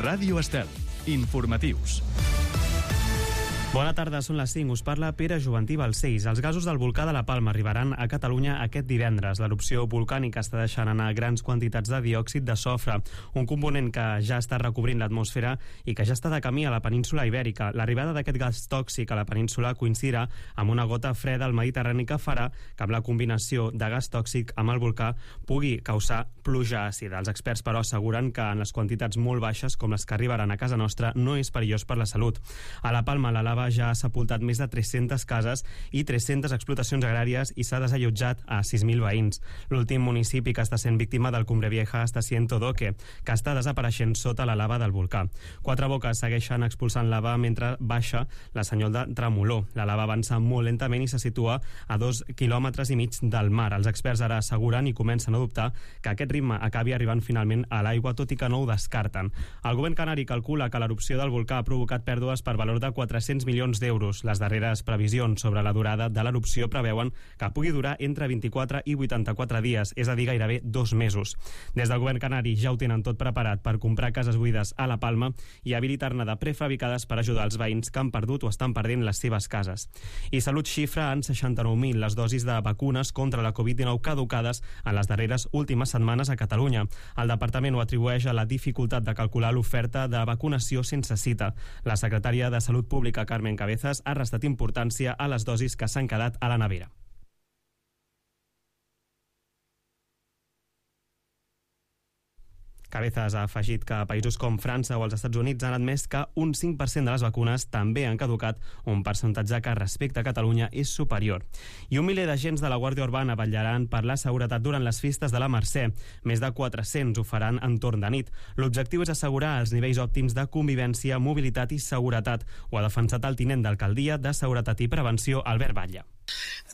Ràdio Estel. Informatius. Bona tarda, són les 5. Us parla Pere Juventí Balcells. Els gasos del volcà de la Palma arribaran a Catalunya aquest divendres. L'erupció volcànica està deixant anar grans quantitats de diòxid de sofre, un component que ja està recobrint l'atmosfera i que ja està de camí a la península Ibèrica. L'arribada d'aquest gas tòxic a la península coincidirà amb una gota freda al Mediterrani que farà que amb la combinació de gas tòxic amb el volcà pugui causar pluja àcida. Els experts, però, asseguren que en les quantitats molt baixes, com les que arribaran a casa nostra, no és perillós per la salut. A la Palma, la lava ja ha sepultat més de 300 cases i 300 explotacions agràries i s'ha desallotjat a 6.000 veïns. L'últim municipi que està sent víctima del Cumbre Vieja està Siento Doque, que està desapareixent sota la lava del volcà. Quatre Boques segueixen expulsant lava mentre baixa la senyal de tremolor. La lava avança molt lentament i se situa a 2,5 quilòmetres del mar. Els experts ara asseguren i comencen a dubtar que aquest ritme acabi arribant finalment a l'aigua, tot i que no ho descarten. El govern canari calcula que l'erupció del volcà ha provocat pèrdues per valor de 400 milions d'euros. Les darreres previsions sobre la durada de l'erupció preveuen que pugui durar entre 24 i 84 dies, és a dir, gairebé 2 mesos. Des del govern canari ja ho tenen tot preparat per comprar cases buides a la Palma i habilitar-ne de prefabricades per ajudar els veïns que han perdut o estan perdent les seves cases. I Salut xifra en 69.000 les dosis de vacunes contra la Covid-19 caducades en les darreres últimes setmanes a Catalunya. El departament ho atribueix a la dificultat de calcular l'oferta de vacunació sense cita. La secretària de Salut Pública, Carmen Cabezas, ha restat importància a les dosis que s'han quedat a la nevera. Cabezas ha afegit que països com França o els Estats Units han admès que un 5% de les vacunes també han caducat, un percentatge que respecte a Catalunya és superior. I 1 miler d'agents de la Guàrdia Urbana vetllaran per la seguretat durant les festes de la Mercè. Més de 400 ho faran entorn de nit. L'objectiu és assegurar els nivells òptims de convivència, mobilitat i seguretat. Ho ha defensat el tinent d'alcaldia de Seguretat i Prevenció, Albert Batlle.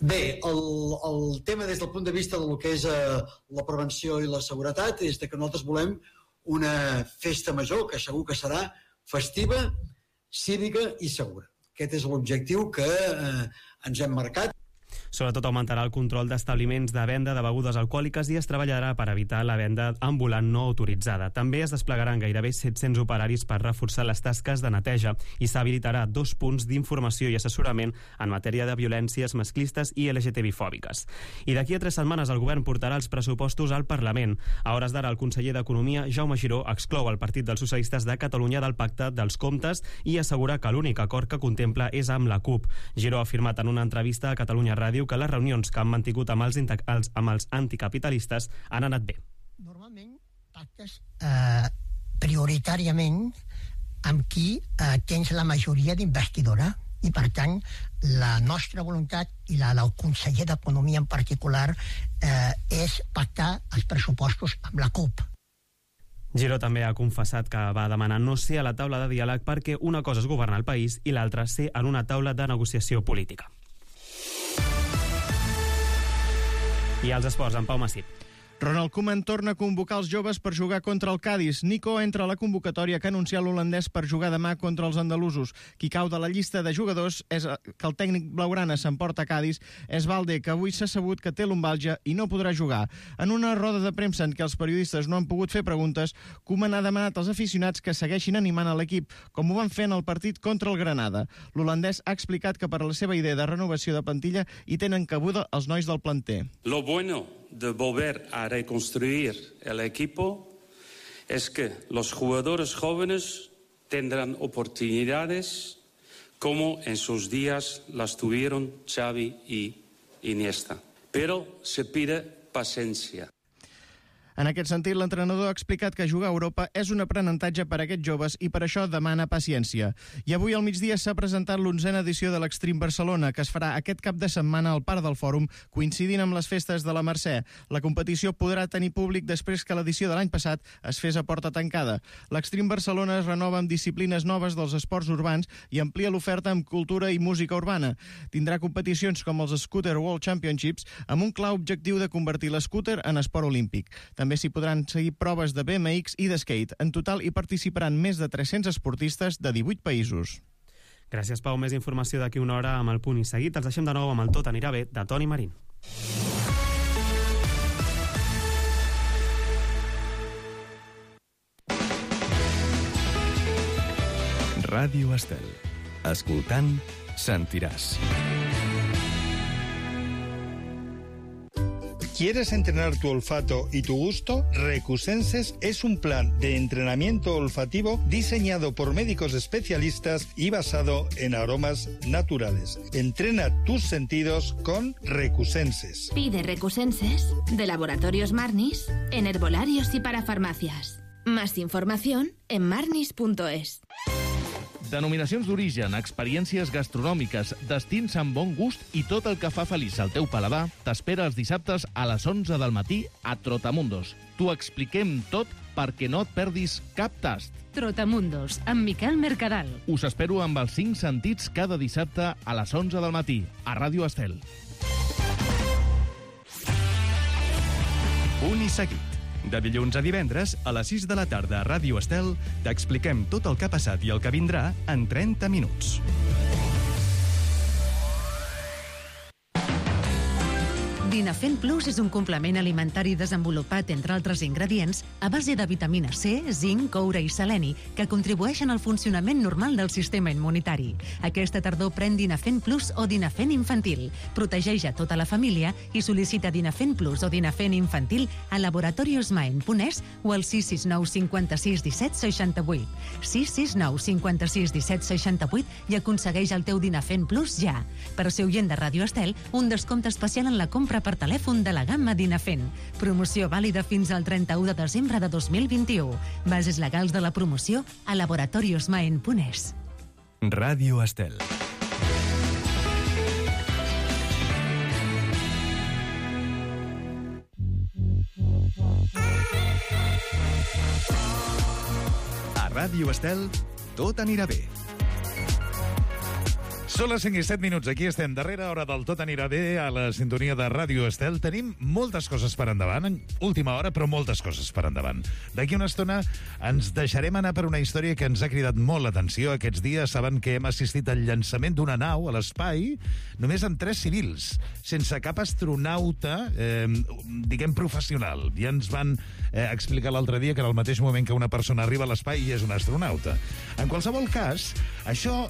Bé, el tema des del punt de vista del que és la prevenció i la seguretat és que nosaltres volem una festa major que segur que serà festiva, cívica i segura. Aquest és l'objectiu que ens hem marcat. Sobretot augmentarà el control d'establiments de venda de begudes alcohòliques i es treballarà per evitar la venda ambulant no autoritzada. També es desplegaran gairebé 700 operaris per reforçar les tasques de neteja i s'habilitarà 2 punts d'informació i assessorament en matèria de violències masclistes i LGTBI-fòbiques. I d'aquí a 3 setmanes el govern portarà els pressupostos al Parlament. A hores d'ara, el conseller d'Economia, Jaume Giró, exclou el Partit dels Socialistes de Catalunya del pacte dels comptes i assegura que l'únic acord que contempla és amb la CUP. Giró ha afirmat en una entrevista a Catalunya Ràdio que les reunions que han mantingut amb els anticapitalistes han anat bé. Normalment pactes prioritàriament amb qui tens la majoria d'investidura i per tant la nostra voluntat i la del conseller d'Economia en particular és pactar els pressupostos amb la CUP. Giró també ha confessat que va demanar no ser a la taula de diàleg perquè una cosa és governar el país i l'altra ser en una taula de negociació política. I als esports, en Pau Massip. Ronald Koeman torna a convocar els joves per jugar contra el Cádiz. Nico entra a la convocatòria que ha anunciat l'holandès per jugar demà contra els andalusos. Qui cau de la llista de jugadors és que el tècnic blaugrana s'emporta a Cádiz és Valde, que avui s'ha sabut que té lumbàlgia i no podrà jugar. En una roda de premsa en què els periodistes no han pogut fer preguntes, Koeman ha demanat als aficionats que segueixin animant a l'equip, com ho van fer en el partit contra el Granada. L'holandès ha explicat que per a la seva idea de renovació de plantilla hi tenen cabuda els nois del planter. Lo bueno de volver a reconstruir el equipo es que los jugadores jóvenes tendrán oportunidades como en sus días las tuvieron Xavi y Iniesta. Pero se pide paciencia. En aquest sentit, l'entrenador ha explicat que jugar a Europa és un aprenentatge per a aquests joves i per això demana paciència. I avui al migdia s'ha presentat l'11a edició de l'Extreme Barcelona, que es farà aquest cap de setmana al Parc del Fòrum, coincidint amb les festes de la Mercè. La competició podrà tenir públic després que l'edició de l'any passat es fes a porta tancada. L'Extreme Barcelona es renova amb disciplines noves dels esports urbans i amplia l'oferta amb cultura i música urbana. Tindrà competicions com els Scooter World Championships amb un clar objectiu de convertir l'escúter en esport olímpic. També s'hi podran seguir proves de BMX i de skate. En total hi participaran més de 300 esportistes de 18 països. Gràcies, Pau. Més informació d'aquí una hora amb el punt i seguit. Els deixem de nou amb el Tot anirà bé de Toni Marín. Ràdio Estel. Escoltant, sentiràs. ¿Quieres entrenar tu olfato y tu gusto? Recusenses es un plan de entrenamiento olfativo diseñado por médicos especialistas y basado en aromas naturales. Entrena tus sentidos con Recusenses. Pide Recusenses de Laboratorios Marnis en herbolarios y para farmacias. Más información en marnis.es. Denominacions d'origen, experiències gastronòmiques, destins amb bon gust i tot el que fa feliç al teu paladar t'espera els dissabtes a les 11 del matí a Trotamundos. T'ho expliquem tot perquè no et perdis cap tast. Trotamundos, amb Miquel Mercadal. Us espero amb els 5 sentits cada dissabte a les 11 del matí a Ràdio Estel. Punt i seguit. De dilluns a divendres, a les 6 de la tarda a Ràdio Estel, t'expliquem tot el que ha passat i el que vindrà en 30 minuts. Dinafen Plus és un complement alimentari desenvolupat, entre altres ingredients, a base de vitamina C, zinc, coure i seleni, que contribueixen al funcionament normal del sistema immunitari. Aquesta tardor pren Dinafen Plus o Dinafen Infantil. Protegeix a tota la família i sol·licita Dinafen Plus o Dinafen Infantil a laboratoriosmaen.es o al 669 56 17 68. 669 56 17 68 i aconsegueix el teu Dinafen Plus ja. Per ser oient de Ràdio Estel, un descompte especial en la compra per telèfon de la gamma Dinafen. Promoció vàlida fins al 31 de desembre de 2021. Bases legals de la promoció a laboratoriosmaen.es. Ràdio Estel. A Ràdio Estel, tot anirà bé. Són les 5 i 7 minuts. Aquí estem, darrera hora del Tot anirà bé, a la sintonia de Ràdio Estel. Tenim moltes coses per endavant, en última hora, però moltes coses per endavant. D'aquí una estona ens deixarem anar per una història que ens ha cridat molt l'atenció. Aquests dies saben que hem assistit al llançament d'una nau a l'espai, només amb 3 civils, sense cap astronauta, diguem, professional. Ja ens van explicar l'altre dia que en el mateix moment que una persona arriba a l'espai i és un astronauta. En qualsevol cas, això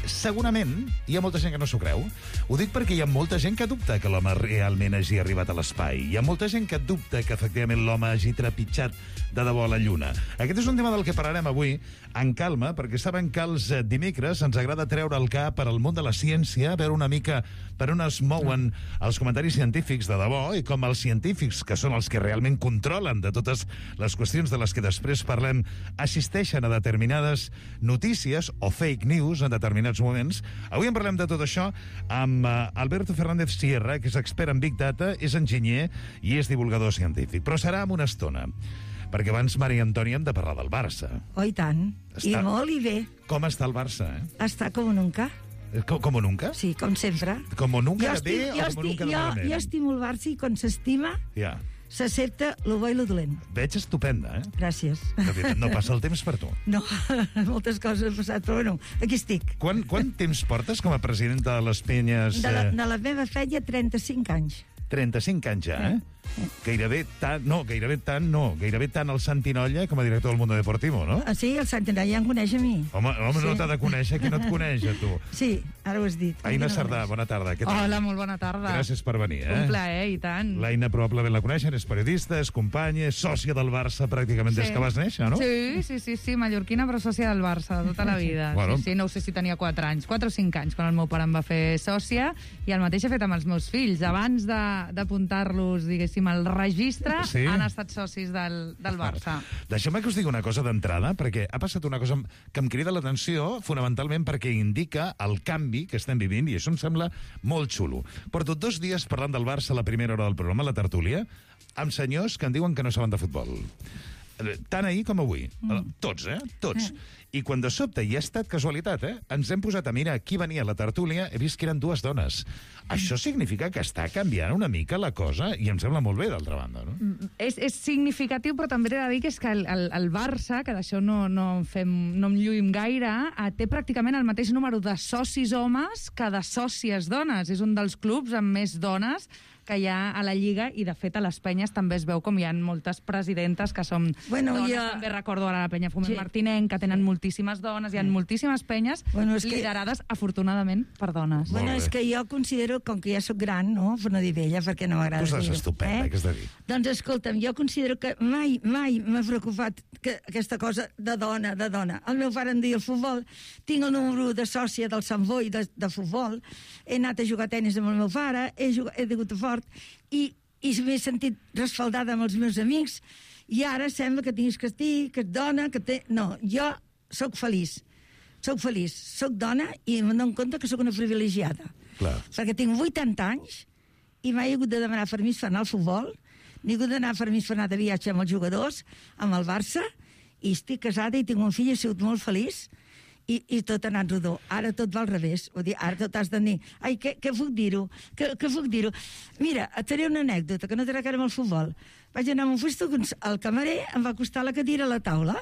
segurament hi ha molta gent que no s'ho creu. Ho dic perquè hi ha molta gent que dubta que l'home realment hagi arribat a l'espai. Hi ha molta gent que dubta que efectivament l'home hagi trepitjat de debò a la Lluna. Aquest és un tema del que parlarem avui en calma, perquè saben que els dimecres ens agrada treure el cap per al món de la ciència, veure una mica per on es mouen els comentaris científics de debò i com els científics, que són els que realment controlen de totes les qüestions de les que després parlem, assisteixen a determinades notícies o fake news en determinats moments. Avui en parlem de tot això amb Alberto Fernández Sierra, que és expert en Big Data, és enginyer i és divulgador científic. Però serà en una estona, perquè abans Maria Antònia hem de parlar del Barça. Oh, i tant. I molt i bé. Com està el Barça, Està com nunca. Com nunca? Sí, com sempre. Com nunca de bé o com nunca de malament? Jo estimo el Barça i quan s'estima s'accepta lo bo i lo dolent. Veig estupenda, Gràcies. No passa el temps per tu. No, moltes coses han passat, però bueno, aquí estic. Quant temps portes com a presidenta de les Penyes? De la meva feina, 35 anys. 35 anys ja, Gairebé tant el Santinolla com a director del Mundo Deportivo, no? Sí, el Santinolla em coneix a mi. Home, no t'ha de conèixer, qui no et coneix, a tu? Sí, ara ho has dit. Aina Sardà, bona tarda. Hola, molt bona tarda. Gràcies per venir, Un plaer, i tant. L'Aina probablement la coneixen, és periodista, és companya, és sòcia del Barça pràcticament des que vas néixer, no? Sí, mallorquina, però sòcia del Barça tota la vida. Bueno. Sí, no ho sé si tenia 4 anys, 4 o 5 anys, quan el meu pare em va fer sòcia, i el mateix he fet amb els meus fills. Abans d'apuntar-los, diguéssim, al registre, han estat socis del Barça. Deixeu-me que us digui una cosa d'entrada, perquè ha passat una cosa que em crida l'atenció, fonamentalment perquè indica el canvi que estem vivint, i això em sembla molt xulo. Porto 2 dies parlant del Barça a la primera hora del programa, a la tertúlia, amb senyors que em diuen que no saben de futbol. Tant ahir com avui. Tots, Tots. I quan de sobte, i ha estat casualitat, ens hem posat a mirar qui venia a la tertúlia, he vist que eren 2 dones. Això significa que està canviant una mica la cosa, i em sembla molt bé, d'altra banda, no? És significatiu, però també he de dir que és que el Barça, que d'això no en lluïm gaire, té pràcticament el mateix número de socis homes que de sòcies dones. És un dels clubs amb més dones que hi ha a la Lliga, i de fet a les penyes també es veu com hi ha moltes presidentes que són dones, també recordo ara la penya Foment Martinenc, que tenen moltíssimes dones, hi ha moltíssimes penyes liderades, afortunadament, per dones. Bueno, és que jo considero, com que ja soc gran, no? Per no dir vella, perquè no m'agrada dir-ho. Tu estàs estupenda, què has de dir? Doncs escolta'm, jo considero que mai m'ha preocupat aquesta cosa de dona. El meu pare em deia el futbol, tinc el número de sòcia del Sant Boi de futbol, he anat a jugar a tenis amb el meu pare, he jugat a fort, i m'he sentit respaldada amb els meus amics, i ara sembla que tinguis que estar, que ets dona, que té... No, jo sóc feliç, sóc dona i em dono compte que sóc una privilegiada. Clar. Perquè tinc 80 anys i mai he hagut de demanar permís per anar al futbol, ni he hagut de demanar permís per anar de viatge amb els jugadors, amb el Barça, i estic casada i tinc un fill, he sigut molt feliç, i tot ha anat rodó. Ara tot va al revés. Vull dir, ara tot has de dir, ai, què puc dir-ho? Què puc dir-ho? Mira, et faré una anècdota, que no té res a veure amb el futbol. Vaig anar amb un festo, el camarer em va acostar la cadira a la taula,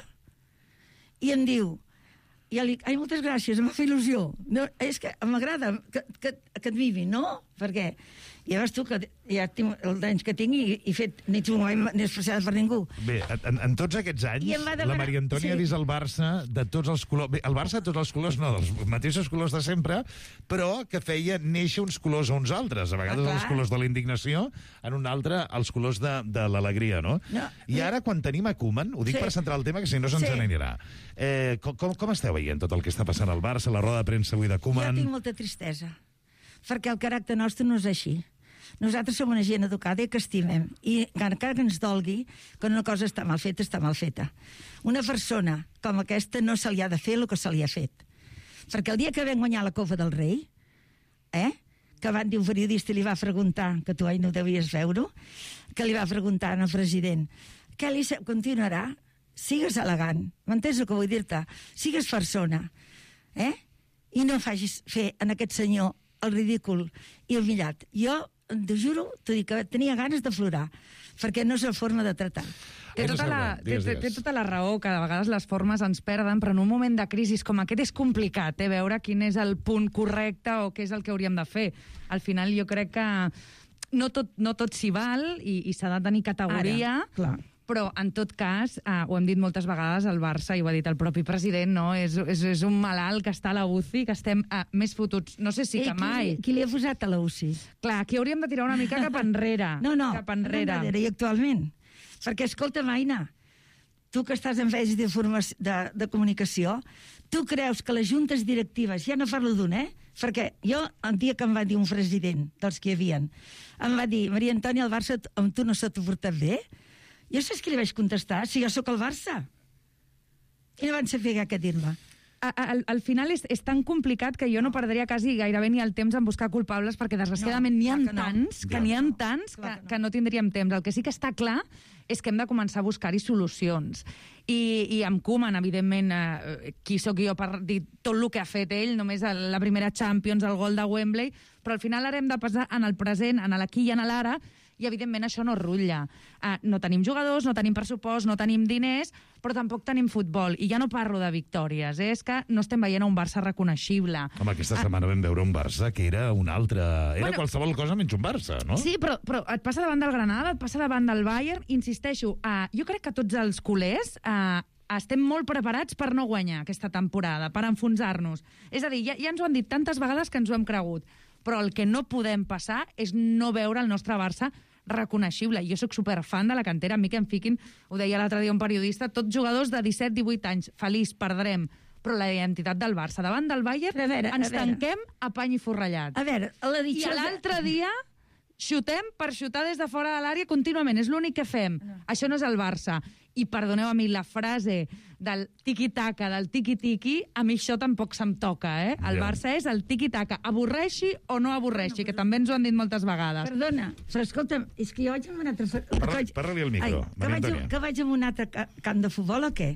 i em diu, ai, moltes gràcies, em va fer il·lusió. No, és que m'agrada que et mimin, no? Perquè ja veus tu que ja tinc els anys que tinc i he fet ni especial per ningú. Bé, en tots aquests anys, la Maria Antònia ha vist el Barça de tots els colors. Bé, el Barça de tots els colors, no, dels mateixos colors de sempre, però que feia néixer uns colors a uns altres. A vegades els colors de la indignació, en un altre els colors de l'alegria, no? I ara, quan tenim a Koeman, ho dic per centrar el tema, que si no se'ns n'anirà. Com esteu veient tot el que està passant al Barça, la roda de premsa avui de Koeman? Jo tinc molta tristesa, perquè el caràcter nostre no és així. Nosaltres som una gent educada i que estimem. I encara que ens dolgui, que una cosa està mal feta, està mal feta. Una persona com aquesta no se li ha de fer el que se li ha fet. Perquè el dia que vam guanyar la Copa del Rei, que van dir un periodista i li va preguntar, que tu no devies veure, que li va preguntar al president, què li continuarà? Sigues elegant, m'entens el que vull dir-te? Sigues persona, i no facis fer en aquest senyor el ridícul i el millat. Jo t'ho juro, t'ho dic, que tenia ganes de plorar, perquè no és la forma de tractar. Té tota la raó, que a vegades les formes ens perden, però en un moment de crisi com aquest és complicat, veure quin és el punt correcte o què és el que hauríem de fer. Al final jo crec que no tot s'hi val i s'ha de tenir categoria, però en tot cas, ho hem dit moltes vegades, el Barça, i ho ha dit el propi president, no? És un malalt que està a la UCI, que estem més fotuts, no sé si que mai. Qui li ha posat a la UCI? Clar, aquí hauríem de tirar una mica cap enrere. No, cap enrere. I actualment. Perquè, escolta, Aina, tu que estàs en feines de comunicació, tu creus que les juntes directives, ja no parlo d'un, perquè jo, el dia que em va dir un president dels que hi havia, em va dir, Maria Antònia, el Barça amb tu no s'ha portat bé? Jo saps què li vaig contestar? Si jo sóc el Barça. I no van saber què dir-me. Al final és tan complicat que jo no perdria quasi gairebé ni el temps en buscar culpables, perquè desgraciadament n'hi ha tants que no tindríem temps. El que sí que està clar és que hem de començar a buscar-hi solucions. I amb Koeman, evidentment, qui sóc jo per dir tot el que ha fet ell, només la primera Champions, el gol de Wembley, però al final ara hem de passar en el present, en l'aquí i en l'ara, i evidentment això no rutlla. No tenim jugadors, no tenim pressupost, no tenim diners, però tampoc tenim futbol. I ja no parlo de victòries, és que no estem veient un Barça reconeixible. Home, aquesta setmana vam veure un Barça que era un altre... Era qualsevol cosa menys un Barça, no? Sí, però et passa davant del Granada, et passa davant del Bayern, insisteixo, jo crec que tots els culers estem molt preparats per no guanyar aquesta temporada, per enfonsar-nos. És a dir, ja ens ho han dit tantes vegades que ens ho hem cregut, però el que no podem passar és no veure el nostre Barça reconeixible. Jo sóc superfan de la cantera, a mi que em fiquin, ho deia l'altre dia un periodista, tots jugadors de 17-18 anys, feliç, perdrem, però la identitat del Barça davant del Bayern ens tanquem a pany i forrellat. A veure, I l'altre dia xutem per xutar des de fora de l'àrea contínuament, és l'únic que fem. Això no és el Barça. I perdoneu a mi, la frase del tiqui-taca, del tiqui-tiqui, a mi això tampoc se'm toca, El Barça és el tiqui-taca, avorreixi o no avorreixi, que també ens ho han dit moltes vegades. Perdona, però escolta'm, és que jo vaig a un altre... Parla-li al micro, Maria Antònia. Que vaig a un altre camp de futbol o què?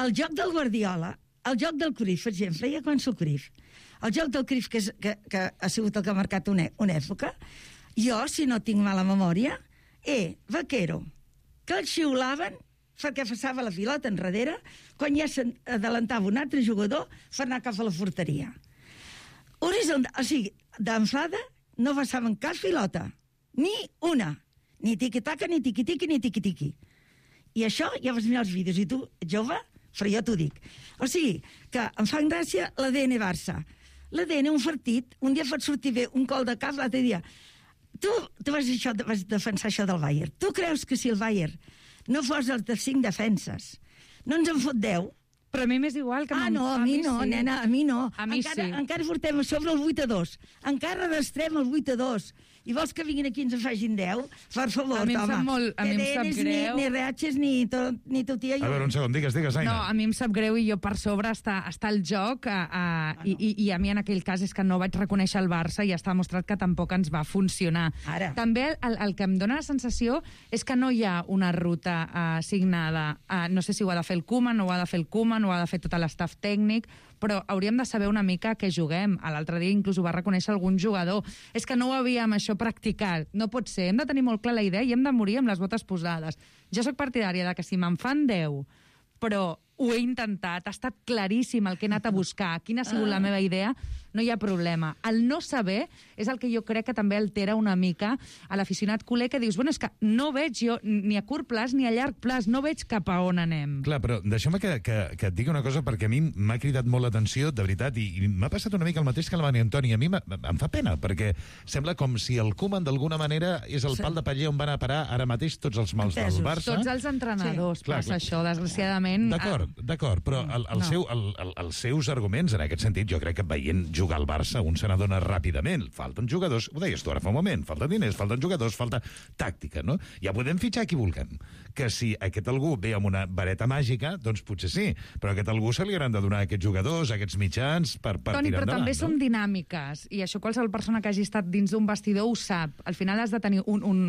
El joc del Guardiola, el joc del Cruyff, per exemple, ja començo el Cruyff. El joc del Cruyff, que ha sigut el que ha marcat una època, jo, si no tinc mala memòria, Vaquero, que el xiulaven perquè passava la pilota enrere, quan ja s'adelantava un altre jugador per anar cap a la porteria. O sigui, d'enfada no passaven cap pilota, Ni una. Ni tiqui-taca, ni tiqui-tiqui, ni tiqui-tiqui. I això ja vas mirar els vídeos. I tu, jove, però jo t'ho dic. O sigui, que em fa gràcia l'ADN Barça. L'ADN, un partit, un dia pot sortir bé un gol de cap, l'altre dia... Tu vas defensar això del Bayern. Tu creus que si el Bayern no fos els de 5 defenses, no ens en fot 10? Però a mi m'és igual que... a mi no, sí. Nena, a mi no. A mi encara portem a sobre el 8-2. Encara arrastrem el 8-2. I vols que vinguin aquí i ens en facin 10? Per favor, home. A mi em sap greu. Ni reatges, ni totia. A veure, un segon, digues, Aina. No, a mi em sap greu i jo per sobre està el joc i a mi en aquell cas és que no vaig reconèixer el Barça i està demostrat que tampoc ens va funcionar. Ara. També el que em dóna la sensació és que no hi ha una ruta assignada. No sé si ho ha de fer el Koeman, o ho ha de fer el Koeman, o ho ha de fer tot l'estaf tècnic, però hauríem de saber una mica què juguem. L'altre dia inclús ho va reconèixer algun jugador. És que no ho havíem això practicat. No pot ser. Hem de tenir molt clar la idea i hem de morir amb les botes posades. Jo sóc partidària de que si me'n fan 10, però ho he intentat, ha estat claríssim el que he anat a buscar, quina ha sigut la meva idea, no hi ha problema. El no saber és el que jo crec que també altera una mica a l'aficionat culer, que dius, bueno, és que no veig jo ni a curt plaç ni a llarg plaç, no veig cap a on anem. Clar, però deixa'm que et digui una cosa, perquè a mi m'ha cridat molt l'atenció, de veritat, i m'ha passat una mica el mateix que la Mani Antoni. A mi em fa pena, perquè sembla com si el Koeman d'alguna manera és el pal de paller on van a parar ara mateix tots els mals del Barça. Tots els entrenadors passa això, desgraciadament. D'acord, però els seus arguments en aquest sentit, jo crec que veient jugar al Barça un se n'adona ràpidament. Falten jugadors, ho deies tu ara fa un moment, falten diners, falten jugadors, falta tàctica, no? Ja podem fitxar qui vulguem. Que si aquest algú ve amb una vareta màgica, doncs potser sí, però a aquest algú se li hauran de donar a aquests jugadors, a aquests mitjans, per tirar endavant. Toni, però també són dinàmiques, i això qualsevol persona que hagi estat dins d'un vestidor ho sap. Al final has de tenir,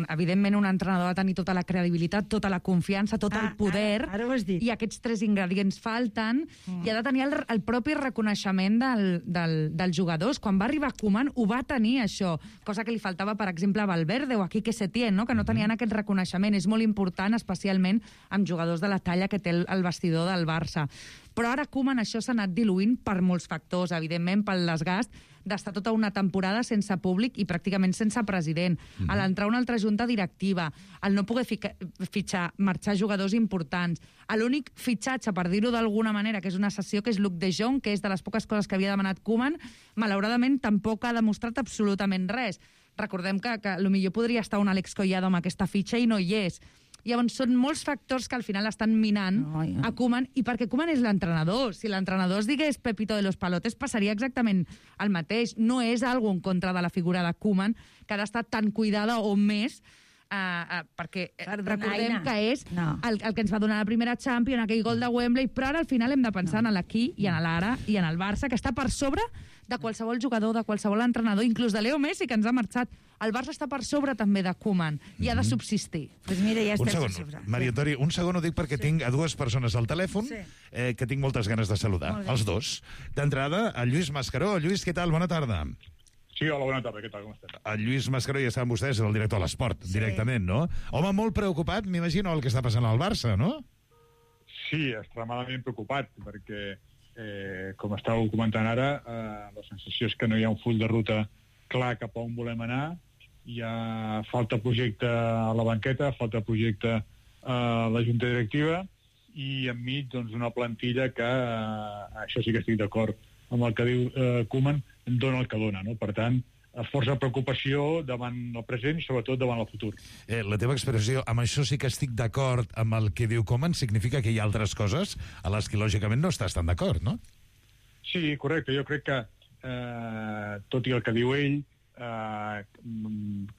evidentment, un entrenador ha de tenir tota la credibilitat, tota la confiança, tot el poder, ara ho has dit. I aquests 3 ingredients falten, i ha de tenir el propi reconeixement dels jugadors. Quan va arribar Koeman ho va tenir, això, cosa que li faltava, per exemple, a Valverde o a Quique Setién, no? Que no tenien aquest reconeixement. És molt important, especialment amb jugadors de la talla que té el vestidor del Barça. Però ara Koeman això s'ha anat diluint per molts factors, evidentment pel desgast d'estar tota una temporada sense públic i pràcticament sense president, a l'entrar una altra junta directiva, al no poder marxar jugadors importants, a l'únic fitxatge, per dir-ho d'alguna manera, que és una cessió, que és Luc de Jong, que és de les poques coses que havia demanat Koeman, malauradament tampoc ha demostrat absolutament res. Recordem que potser podria estar un Alex Collado amb aquesta fitxa i no hi és. Llavors, són molts factors que al final estan minant a Koeman, i perquè Koeman és l'entrenador. Si l'entrenador es digués Pepito de los Palotes, passaria exactament el mateix. No és algo en contra de la figura de Koeman, que ha d'estar tan cuidada o més, perquè recordem que és el que ens va donar la primera Champions, aquell gol de Wembley, però ara al final hem de pensar en l'aquí i en l'ara i en el Barça, que està per sobre de qualsevol jugador, de qualsevol entrenador, inclús de Leo Messi, que ens ha marxat. El Barça està per sobre també de Koeman i ha de subsistir. Pues mira, ja un segon, Maria Antoni, un segon ho dic perquè tinc a 2 persones al telèfon que tinc moltes ganes de saludar, els 2. D'entrada, el Lluís Mascaró. Lluís, què tal? Bona tarda. Sí, hola, bona tarda, què tal, com estàs? El Lluís Mascaró, ja saben vostès, és el director de l'Esport, directament, no? Home, molt preocupat, m'imagino, el que està passant al Barça, no? Sí, extremadament preocupat, perquè, com estàveu comentant ara, la sensació és que no hi ha un full de ruta clar cap a on volem anar, hi ha falta projecte a la banqueta, falta projecte a la junta directiva, i enmig, doncs, una plantilla que, això sí que estic d'acord amb el que diu Koeman, dona el que dona, no? Per tant, força preocupació davant el present i sobretot davant el futur. La teva expressió, amb això sí que estic d'acord amb el que diu Koeman, significa que hi ha altres coses a les que lògicament no estàs tan d'acord, no? Sí, correcte. Jo crec que, tot i el que diu ell,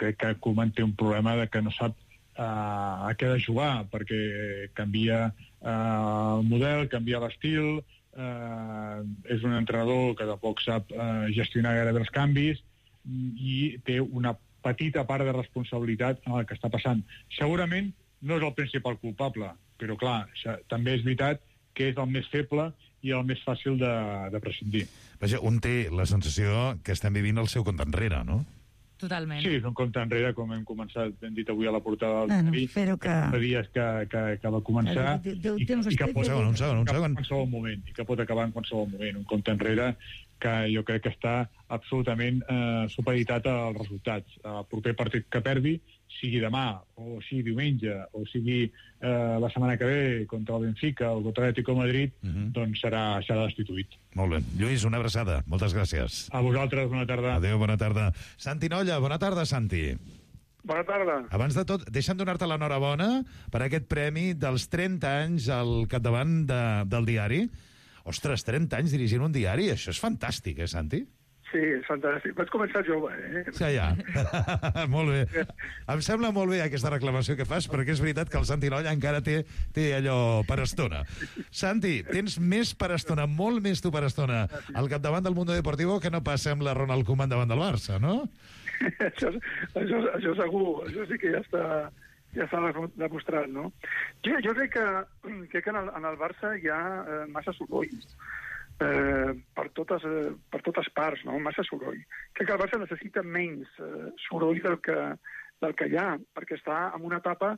crec que Koeman té un problema de que no sap a què ha de jugar, perquè canvia el model, canvia l'estil, és un entrenador que tampoc sap gestionar gairebé els canvis i té una petita part de responsabilitat en el que està passant. Segurament no és el principal culpable, però clar, també és veritat que és el més feble i el més fàcil de prescindir. Vaja, un té la sensació que estem vivint el seu compte enrere, no? Totalment. Sí, és un compte enrere, com hem començat, hem dit avui a la portada del diari, fa dies que va començar i que pot acabar en qualsevol moment. Un compte enrere que jo crec que està absolutament supeditat als resultats. El proper partit que perdi, sigui demà, o sigui diumenge, o sigui la setmana que ve contra el Benfica o contra l'Atlético de Madrid, doncs serà destituït. Molt bé. Lluís, una abraçada. Moltes gràcies. A vosaltres, bona tarda. Adéu, bona tarda. Santi Nolla, bona tarda, Santi. Bona tarda. Abans de tot, deixa'm donar-te l'enhorabona per aquest premi dels 30 anys al capdavant del diari. Ostres, 30 anys dirigint un diari, això és fantàstic, Santi? Sí, és fantàstic. Vaig començar jove, Sí, ja. Molt bé. Em sembla molt bé aquesta reclamació que fas, perquè és veritat que el Santi Nolla encara té allò per estona. Santi, tens més per estona, molt més tu per estona, al capdavant del Mundo Deportivo que no pas sembla Ronald Koeman davant del Barça, no? Això segur, això sí que ja està demostrat, no? Jo crec que en el Barça hi ha massa soroll per totes parts, no? Massa soroll. Crec que el Barça necessita menys soroll del que hi ha, perquè està en una etapa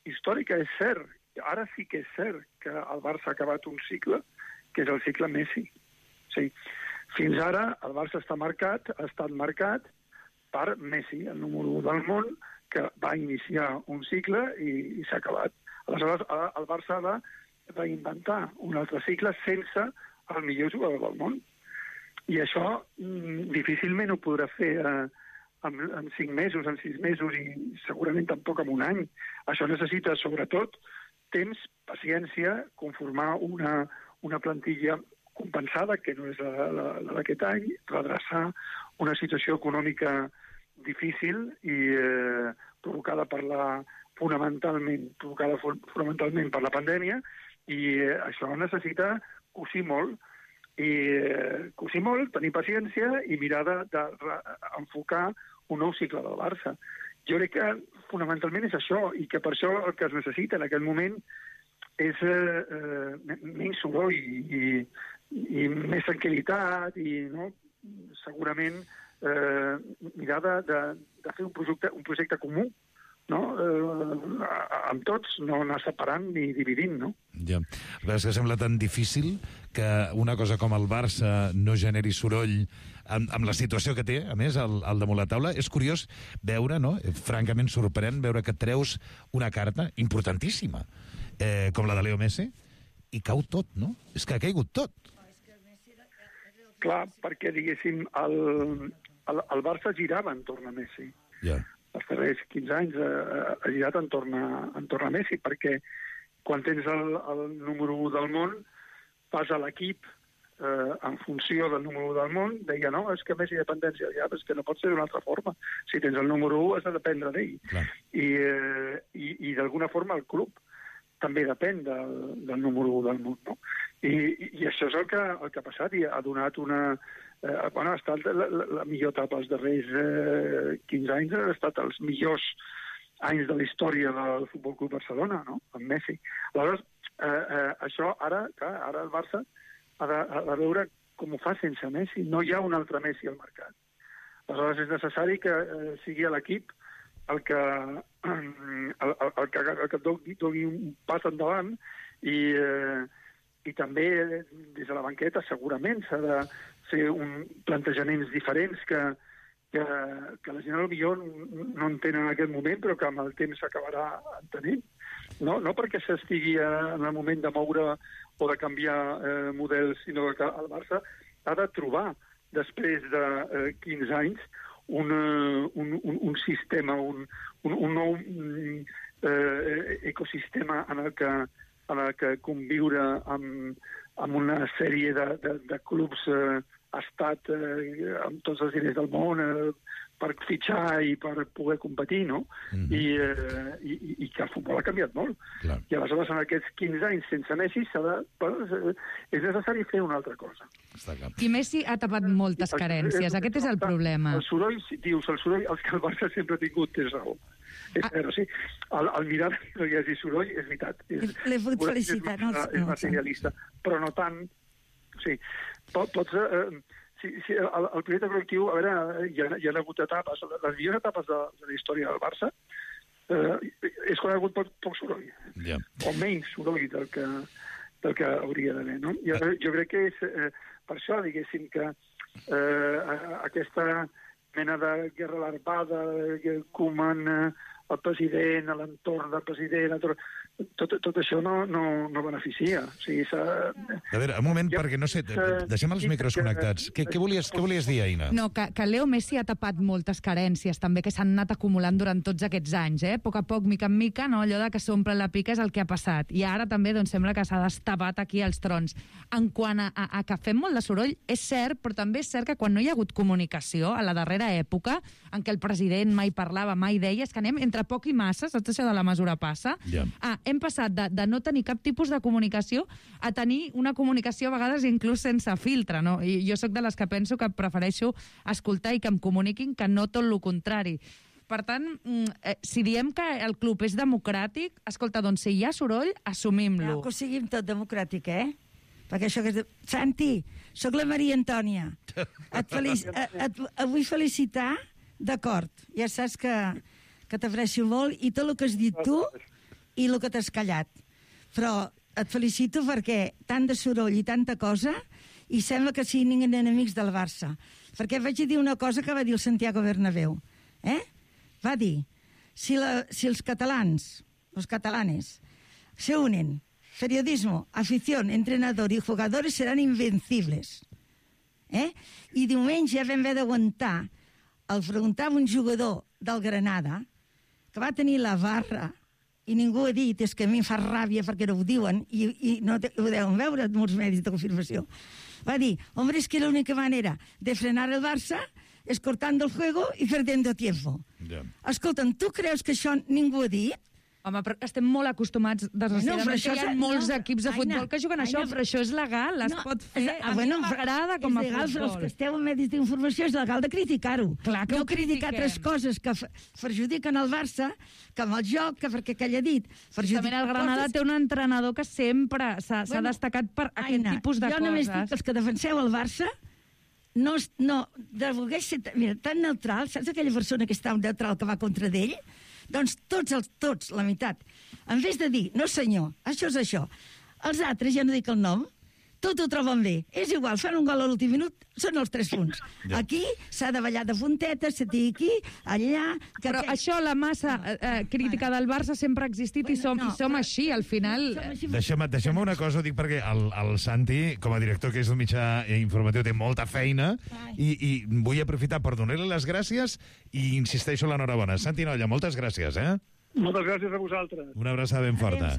històrica, és cert. Ara sí que és cert que el Barça ha acabat un cicle, que és el cicle Messi. Sí. Fins ara el Barça ha estat marcat per Messi, el número 1 del món, que va iniciar un cicle i s'ha acabat. Aleshores, el Barça ha de reinventar un altre cicle sense el millor jugador del món. I això difícilment ho podrà fer en 5 mesos, en 6 mesos i segurament tampoc en un any. Això necessita, sobretot, temps, paciència, conformar una plantilla compensada, que no és la d'aquest any, redreçar una situació econòmica difícil i provocada fonamentalment per la pandèmia, i això necessita cosir molt, tenir paciència i mirar d'enfocar un nou cicle del Barça. Jo crec que fonamentalment és això, i que per això el que es necessita en aquest moment és menys soroll i més tranquil·litat i segurament mirar de fer un projecte comú, no? Amb tots, no anar separant ni dividint, no? Ja. És que sembla tan difícil que una cosa com el Barça no generi soroll amb la situació que té, a més, al damunt la taula. És curiós veure, no? Francament sorprèn veure que treus una carta importantíssima, com la de Leo Messi, i cau tot, no? És que ha caigut tot. Clar, perquè, diguéssim, el Barça girava entorn a Messi. Ja. Els darrers 15 anys ha girat entorn a Messi, perquè quan tens el número 1 del món, vas a l'equip en funció del número 1 del món, deia, no, és que Messi dependència, ja, és que no pot ser d'una altra forma. Si tens el número 1 has de dependre d'ell. I d'alguna forma el club també depèn del número 1 del món, no? I això és el que ha passat i ha donat una... ha estat la millor etapa els darrers 15 anys, ha estat els millors anys de la història del Futbol Club Barcelona, no?, amb Messi. Aleshores, això ara el Barça ha de veure com ho fa sense Messi. No hi ha un altre Messi al mercat. Aleshores és necessari que sigui l'equip el que doni un pas endavant i també des de la banqueta segurament s'ha de fer plantejaments diferents que la gent potser no entén en aquest moment, però que amb el temps s'acabarà entenent. No perquè s'estigui en el moment de moure o de canviar models, sinó que el Barça ha de trobar, després de 15 anys, un sistema, un nou ecosistema en el que conviure amb una sèrie de clubs estat amb tots els diners del món per fitxar i per poder competir, no? I que el futbol ha canviat molt. I aleshores en aquests 15 anys sense Messi és necessari fer una altra cosa. I Messi ha tapat moltes carències, aquest és el problema. El soroll, els que el Barça sempre ha tingut, tens raó. Però sí, al mirar que no hi hagi soroll, és veritat. L'he fot felicitar. És materialista, però no tant. Sí, el projecte col·lectiu, a veure, hi ha hagut etapes, les millors etapes de la història del Barça és quan ha hagut poc soroll, o menys soroll del que hauria d'haver, no? Jo crec que és per això, diguéssim, que aquesta mena de guerra larvada, Koeman, el president, l'entorn del president, tot això no beneficia. O sigui, a veure, un moment, perquè no sé, deixem els micros connectats. Què volies dir, Aina? No, que Leo Messi ha tapat moltes carències, també, que s'han anat acumulant durant tots aquests anys, A poc a poc, mica en mica, no? Allò de que s'omple la pica és el que ha passat. I ara també sembla que s'ha destapat aquí els trons. En quant a que fem molt de soroll, és cert, però també és cert que quan no hi ha hagut comunicació, a la darrera època, en què el president mai parlava, mai deia, és que anem entre poc i massa, saps això de la mesura passa? Hem passat de no tenir cap tipus de comunicació a tenir una comunicació a vegades inclús sense filtre, no? I jo sóc de les que penso que prefereixo escoltar i que em comuniquin que no tot el contrari. Per tant, si diem que el club és democràtic, escolta, doncs si hi ha soroll, assumim-lo. Que ho siguin tot democràtic, Perquè això que és... Santi, sóc la Maria Antònia. Et vull felicitar, d'acord, ja saps que t'aprecio molt, i tot el que has dit tu i el que t'has callat. Però et felicito perquè tant de soroll i tanta cosa, i sembla que siguin enemics del Barça. Perquè vaig dir una cosa que va dir el Santiago Bernabéu. Va dir, si els catalans, los catalanes, se unen, periodismo, afición, entrenador y jugadores serán invencibles. I diumenge vam haver d'aguantar el preguntar un jugador del Granada que va tenir la barra i ningú ha dit, és que a mi em fa ràbia perquè no ho diuen i no ho deuen veure molts medis de confirmació. Va dir, hombre, es que la única manera de frenar el Barça es cortando el juego y perdiendo tiempo. Escolta'm, tu creus que això ningú ha dit? Home, però estem molt acostumats, desgraciadament, que hi ha molts equips de futbol que juguen això, però això és legal, es pot fer. A mi m'agrada com a futbol. És legal, però els que esteu en medis d'informació és legal de criticar-ho. Clar que ho critiquem. Altres coses que perjudiquen el Barça, que amb el joc, que perquè que ella ha dit... Justament el Granada té un entrenador que sempre s'ha destacat per aquest tipus de coses. Jo només dic que els que defenseu el Barça no de voler ser tan neutral, saps aquella persona que està neutral que va contra d'ell? Doncs tots, la meitat. En vez de dir, no senyor, això és això, els altres, ja no dic el nom, tot ho troben bé. És igual, fan un gol a l'últim minut, són els 3 punts. Aquí s'ha de ballar de puntetes, se tira aquí, allà... Però això, la massa crítica del Barça sempre ha existit i som així, al final... Deixem una cosa, ho dic perquè el Santi, com a director que és un mitjà informatiu, té molta feina i vull aprofitar per donar-li les gràcies i insisteixo l'enhorabona. Santi Nolla, moltes gràcies, Moltes gràcies a vosaltres. Una abraçada ben forta.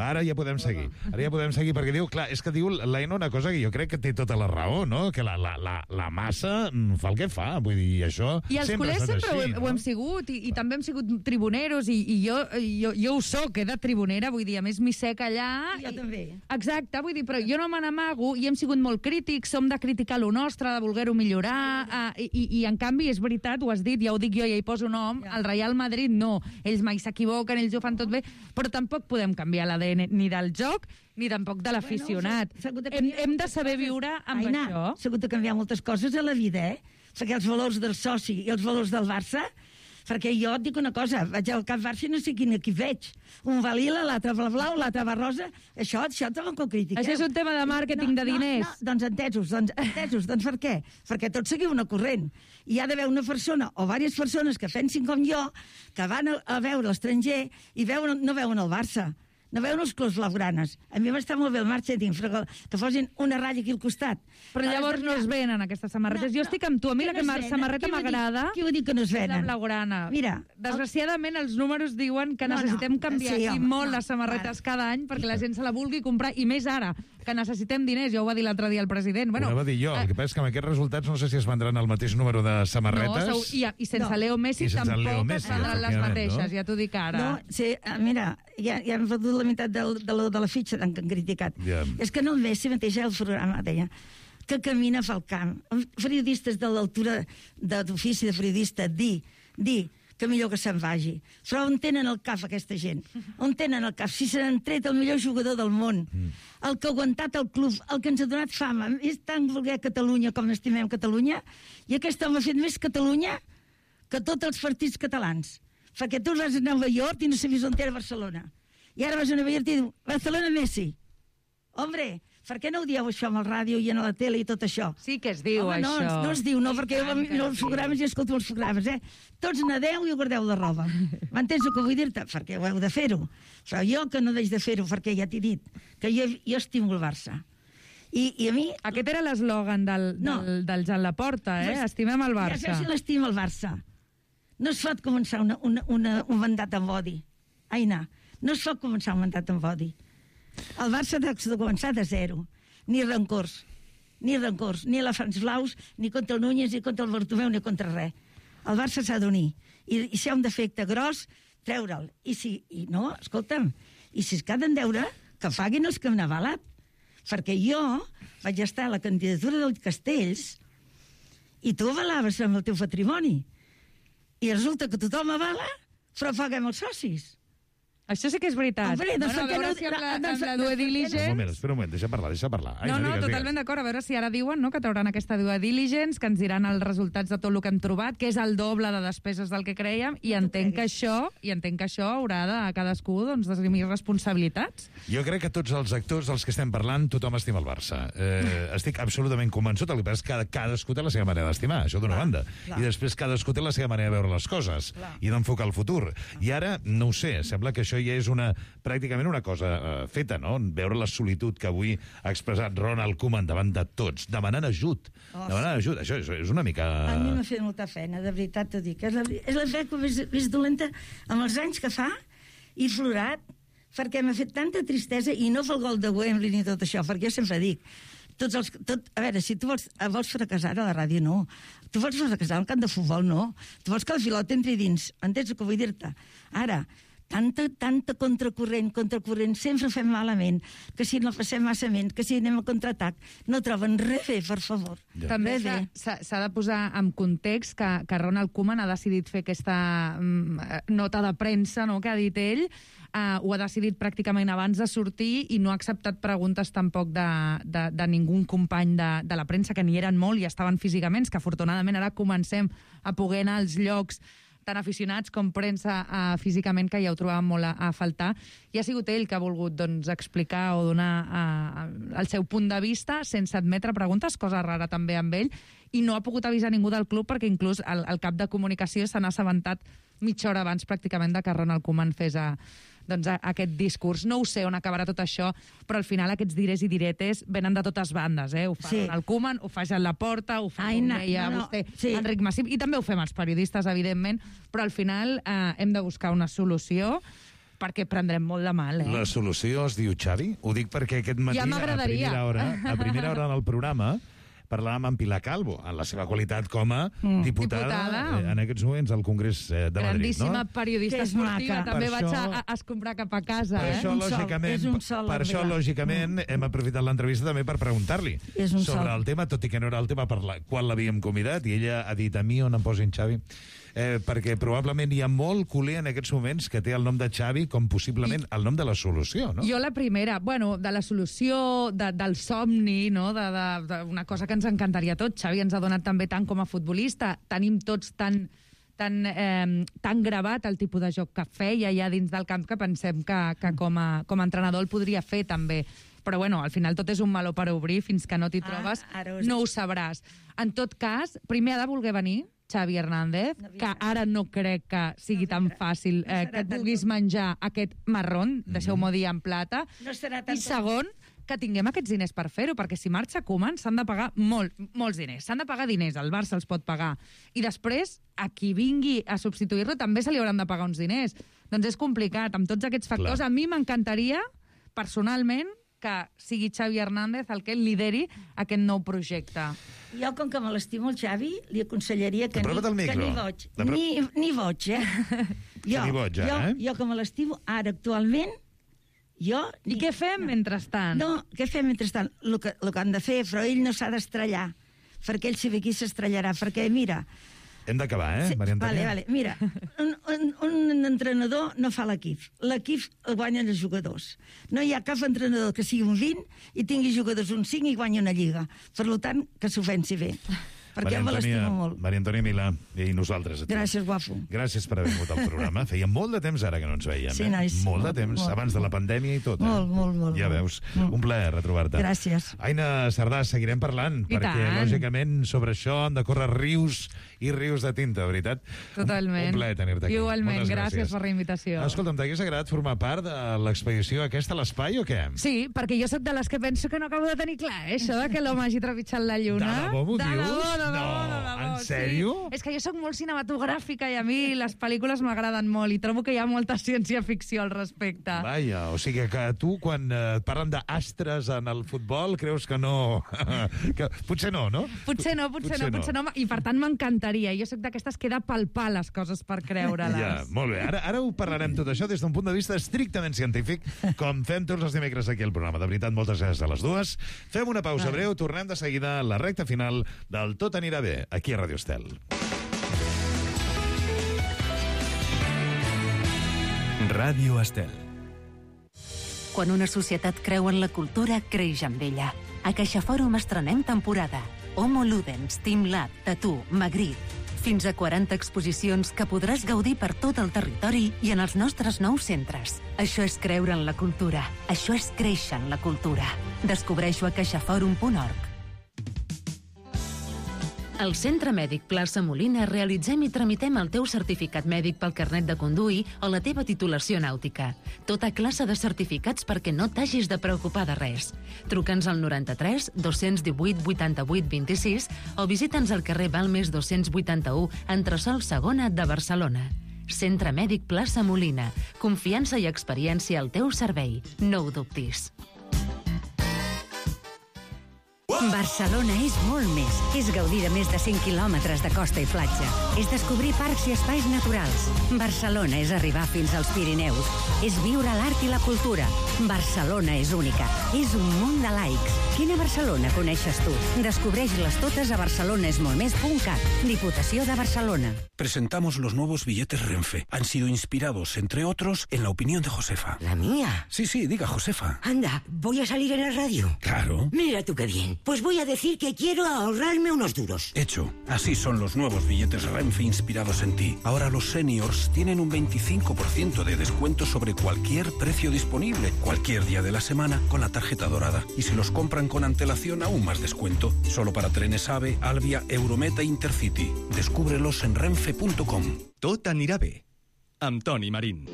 Ara ja podem seguir. Ara ja podem seguir, perquè diu, clar, és que diu l'Aina una cosa que jo crec que té tota la raó, no? Que la massa fa el que fa, vull dir, això... I els culers sempre ho hem sigut, i també hem sigut tribuneros, i jo ho soc, de tribunera, vull dir, a més m'hi sec allà... Jo també. Exacte, vull dir, però jo no me n'amago, i hem sigut molt crítics, som de criticar lo nostre, de voler-ho millorar, i en canvi, és veritat, ho has dit, ja ho dic jo, ja hi poso nom, el Real Madrid no, ells mai s'equivoquen, ells ho fan tot bé, però tampoc podem canviar l'ADN ni del joc ni tampoc de l'aficionat. Hem de saber viure amb això. S'ha hagut de canviar moltes coses a la vida, perquè els valors del soci i els valors del Barça, perquè jo et dic una cosa, vaig al Camp Barça i no sé quin equip veig. Un va lila, l'altre va blau, l'altre va rosa, això tampoc ho critiqueu. Això és un tema de màrqueting, de diners. Doncs entesos, doncs per què? Perquè tots seguiu una corrent. I hi ha d'haver una persona o diverses persones que pensin com jo, que van a veure l'estranger i no veuen el Barça. No veuen els clubs blaugranes. A mi m'està molt bé el màrqueting, que posin una ratlla aquí al costat. Però llavors no es venen aquestes samarretes. Jo estic amb tu, a mi la samarreta m'agrada. Qui ho diu que no es venen? La blaugrana. Mira, desgraciadament els números diuen que necessitem canviar molt les samarretes cada any perquè la gent se la vulgui comprar, i més ara, que necessitem diners. Ja ho va dir l'altre dia el president. Ho va dir jo. El que passa és que amb aquests resultats no sé si es vendran el mateix número de samarretes. No, i sense Leo Messi tampoc es vendran les mateixes, ja t'ho dic ara. No, sí, mira, ja hem vendut la meitat de la fitxa que han criticat. És que no el Messi mateix el programa deia que camina pel camp. Periodistes de l'altura d'ofici de periodista, dir que millor que se'n vagi. Però on tenen el cap aquesta gent? On tenen el cap? Si se n'han tret el millor jugador del món, el que ha aguantat el club, el que ens ha donat fama, és tan voler Catalunya com estimem Catalunya, i aquest home ha fet més Catalunya que tots els partits catalans. Perquè tu vas a Nova York i no sabies on era Barcelona. I ara vas a Nova York i diu, Barcelona Messi. Hombre, Per què no ho dieu això amb el ràdio i a la tele i tot això? Sí que es diu, això. No es diu, no, perquè jo els programes i escolto els programes, Tots nadeu i guardeu la roba. M'entens el que vull dir-te? Perquè ho heu de fer-ho. Però jo que no deix de fer-ho, perquè ja t'he dit que jo estimo el Barça. I a mi... Aquest era l'eslògan del Jan Laporta, Estimem el Barça. Ja sé si l'estima el Barça. No es pot començar un mandat amb odi. Aina, no es pot començar un mandat amb odi. El Barça ha de començar de zero. Ni rancors, ni a la Frans Blaus, ni contra el Núñez, ni contra el Bartomeu, ni contra res. El Barça s'ha d'unir. I si hi ha un defecte gros, treure'l. I si es queden deure, que paguin els que han avalat. Perquè jo vaig estar a la candidatura del Castells i tu avalaves amb el teu patrimoni. I resulta que tothom avala, però paguem els socis. Això sí que és veritat. Hombre, doncs a veure si amb la due diligence... Espera un moment, deixa parlar. No, totalment d'acord. A veure si ara diuen que trauran aquesta due diligence, que ens diran els resultats de tot el que hem trobat, que és el doble de despeses del que crèiem, i entenc que això haurà de cadascú d'esgrimir responsabilitats. Jo crec que tots els actors dels que estem parlant, tothom estima el Barça. Estic absolutament convençut, el que passa és que cadascú té la seva manera d'estimar, això d'una banda. I després cadascú té la seva manera de veure les coses i d'enfocar el futur. I ara, no ho sé, sembla que això ja és pràcticament una cosa feta, no? Veure la solitud que avui ha expressat Ronald Koeman davant de tots, demanant ajut. Això és una mica... A mi m'ha fet molta feina, de veritat t'ho dic. És la fe més dolenta amb els anys que fa i florat, perquè m'ha fet tanta tristesa, i no pel gol de Wembley ni tot això, perquè jo sempre dic, a veure, si tu vols fracassar a la ràdio, no. Tu vols fracassar al camp de futbol, no. Tu vols que el pilot entri dins. Entens el que vull dir-te? Ara, tanta contracorrent, sempre fem malament, que si no passem massament, que si anem a contraatac, no troben res bé, per favor. Ja. També s'ha de posar en context que Ronald Koeman ha decidit fer aquesta nota de premsa, no?, que ha dit ell, ho ha decidit pràcticament abans de sortir i no ha acceptat preguntes tampoc de ningú company de la premsa, que n'hi eren molt i estaven físicament, que afortunadament ara comencem a poder anar als llocs tan aficionats com premsa físicament, que ja ho trobàvem molt a faltar, i ha sigut ell que ha volgut explicar o donar el seu punt de vista sense admetre preguntes, cosa rara també amb ell, i no ha pogut avisar ningú del club perquè inclús el cap de comunicació se n'ha assabentat mitja hora abans pràcticament de que Ronald Koeman fes aquest discurs. No ho sé on acabarà tot això, però al final aquests dires i diretes venen de totes bandes, Ho fa Ronald Koeman, ho fa Jan Laporta, ho fa vostè, Enric Massip, i també ho fem els periodistes, evidentment, però al final hem de buscar una solució perquè prendrem molt de mal. La solució es diu Xavi? Ho dic perquè aquest matí, a primera hora en el programa, parlàvem amb Pilar Calvo, en la seva qualitat com a diputada en aquests moments al Congrés de Madrid. Grandíssima periodista esportiva, també vaig a escombrar cap a casa. Per això, lògicament, hem aprofitat l'entrevista també per preguntar-li sobre el tema, tot i que no era el tema quan l'havíem convidat, i ella ha dit: a mi on em posin Xavi? Perquè probablement hi ha molt culer en aquests moments que té el nom de Xavi com possiblement el nom de la solució, no? Jo la primera, de la solució, del somni, no? D'una cosa que ens encantaria a tots. Xavi ens ha donat també tant com a futbolista. Tenim tots tan gravat el tipus de joc que feia ja dins del camp que pensem que com a entrenador el podria fer també. Però al final tot és un meló per obrir, fins que no t'hi trobes no ho sabràs. En tot cas, primer ha de voler venir Xavi Hernández, que ara no crec que sigui tan fàcil que et vulguis menjar aquest marrón, deixeu-m'ho dir en plata, i segon, que tinguem aquests diners per fer-ho, perquè si marxa Koeman s'han de pagar molts diners, s'han de pagar diners, el Barça els pot pagar, i després a qui vingui a substituir-lo també se li hauran de pagar uns diners. Doncs és complicat, amb tots aquests factors. A mi m'encantaria, personalment, que sigui Xavi Hernández el que lideri aquest nou projecte. Jo, com que me l'estimo el Xavi, li aconsellaria que ni boig. Ni boig, Jo, que me l'estimo, ara, actualment, I què fem mentrestant? No, què fem mentrestant? El que han de fer, però ell no s'ha d'estrellar, perquè ell sabe qui s'estrellarà, perquè, mira... Hem d'acabar, Maria Antònia? Vale. Mira, un entrenador no fa l'equip. L'equip el guanyen els jugadors. No hi ha cap entrenador que sigui un 20 i tingui jugadors un 5 i guanyi una lliga. Per tant, que s'ho pensi bé. perquè me l'estimo molt. Maria Antònia Milà, i nosaltres. Gràcies, guapo. Gràcies per haver vingut al programa. Feia molt de temps ara que no ens veiem. Sí, nois. Molt de temps, abans de la pandèmia i tot. Molt. Ja veus. Un plaer retrobar-te. Gràcies. Aina Sardà, seguirem parlant, perquè, lògicament, sobre això han de córrer rius i rius de tinta, veritat? Totalment. Un plaer tenir-te aquí. Igualment, gràcies per la invitació. Escolta'm, t'hagués agradat formar part de l'expedició aquesta a l'espai o què? Sí, perquè jo sóc de les que penso que no acabo de tenir clar, això de que l'home hagi trepitjat la lluna. De debò m'ho dius? De debò. En sèrio? Sí. És que jo sóc molt cinematogràfica i a mi les pel·lícules m'agraden molt i trobo que hi ha molta ciència-ficció al respecte. Vaja, o sigui que tu, quan parlen d'astres en el futbol, creus que no... que potser no, no? Potser no. I per tant m'encantaria. Jo sóc d'aquestes que he de palpar les coses per creure-les. Ja, molt bé. Ara ho parlarem tot això des d'un punt de vista estrictament científic, com fem tots els dimecres aquí al programa. De veritat, moltes gràcies a les dues. Fem una pausa breu, tornem de seguida a la recta final del Tot anirà bé, aquí a Radio Estel. Ràdio Estel. Quan una societat creu en la cultura, creix amb ella. A CaixaFòrum estrenem temporada. Homo Ludens, Team Lab, Tattoo, Magritte. Fins a 40 exposicions que podràs gaudir per tot el territori i en els nostres nous centres. Això és creure en la cultura. Això és créixer en la cultura. Descobreixo a caixaforum.org. Al Centre Mèdic Plaça Molina realitzem i tramitem el teu certificat mèdic pel carnet de conduir o la teva titulació nàutica. Tota classe de certificats perquè no t'hagis de preocupar de res. Truca'ns al 93 218 88 26 o visita'ns al carrer Balmes 281, entresòl Segona de Barcelona. Centre Mèdic Plaça Molina. Confiança i experiència al teu servei. No ho dubtis. Barcelona és molt més. És gaudir de més de 100 quilòmetres de costa i platja. És descobrir parcs i espais naturals. Barcelona és arribar fins als Pirineus. És viure l'art i la cultura. Barcelona és única. És un munt de laics. Quina Barcelona coneixes tu? Descobreix-les totes a barcelonesmoltmés.cat. Diputació de Barcelona. Presentamos los nuevos billetes Renfe. Han sido inspirados, entre otros, en la opinión de Josefa. ¿La mía? Sí, diga Josefa. Anda, ¿voy a salir en la radio? Claro. Mira tú qué bien. Pues voy a decir que quiero ahorrarme unos duros. Hecho. Así son los nuevos billetes Renfe inspirados en ti. Ahora los seniors tienen un 25% de descuento sobre cualquier precio disponible, cualquier día de la semana, con la tarjeta dorada. Y si los compran con antelación, aún más descuento. Solo para trenes AVE, Alvia, Eurometa e Intercity. Descúbrelos en renfe.com. Tot anirà bé. Amb Toni Marín.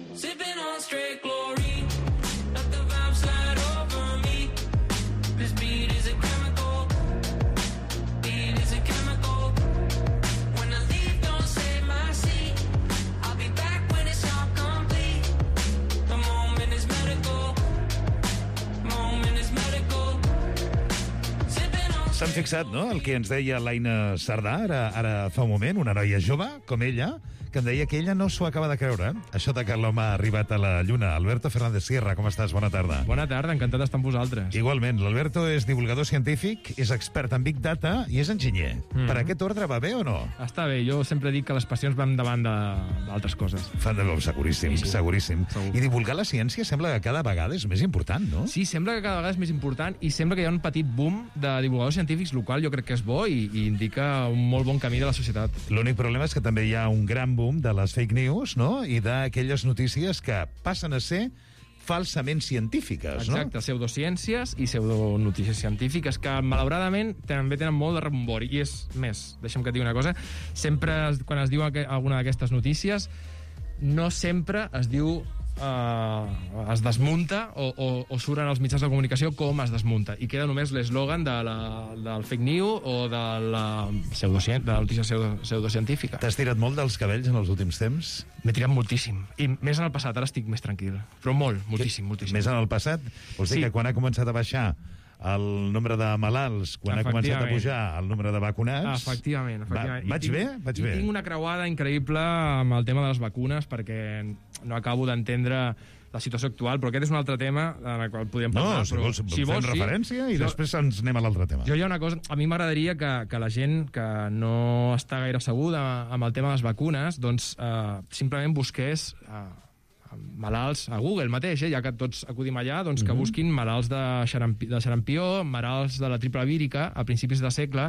S'han fixat, no?, el que ens deia l'Aina Sardà ara fa un moment, una noia jove, com ella, que em deia que ella no s'ho acaba de creure, això de que l'home ha arribat a la Lluna. Alberto Fernández Sierra, com estàs? Bona tarda. Bona tarda, encantat d'estar amb vosaltres. Igualment, l'Alberto és divulgador científic, és expert en Big Data i és enginyer. Per aquest ordre va bé o no? Està bé, jo sempre dic que les passions van davant d'altres coses. Seguríssim, sí. Seguríssim. Segur. I divulgar la ciència sembla que cada vegada és més important, no? Sí, sembla que cada vegada és més important i sembla que hi ha un petit boom de divulgadors científics, el qual jo crec que és bo i indica un molt bon camí de la societat. L'únic problema és que també hi ha un gran boom de les fake news, no?, i d'aquelles notícies que passen a ser falsament científiques, no? Exacte, pseudociències i pseudonotícies científiques que, malauradament, també tenen molt de rebombori. I és més, deixa'm que et digui una cosa, sempre, quan es diu alguna d'aquestes notícies, no sempre es diu es desmunta o surten als mitjans de comunicació com es desmunta, i queda només l'eslògan del fake news o de la notícia pseudocientífica. T'has tirat molt dels cabells en els últims temps? M'he tirat moltíssim, i més en el passat, ara estic més tranquil, però moltíssim. Més en el passat? Vols dir que quan ha començat a baixar el nombre de malalts, quan ha començat a pujar el nombre de vacunats... Efectivament. Vaig bé? Tinc una creuada increïble amb el tema de les vacunes, perquè no acabo d'entendre la situació actual, però aquest és un altre tema en el qual podem parlar. No, si vols fem referència i després ens anem a l'altre tema. Hi ha una cosa, a mi m'agradaria que la gent que no està gaire asseguda amb el tema de les vacunes, doncs simplement busqués malalts a Google mateix, ja que tots acudim allà, doncs que busquin malalts de xarampió, malalts de la triple vírica a principis de segle,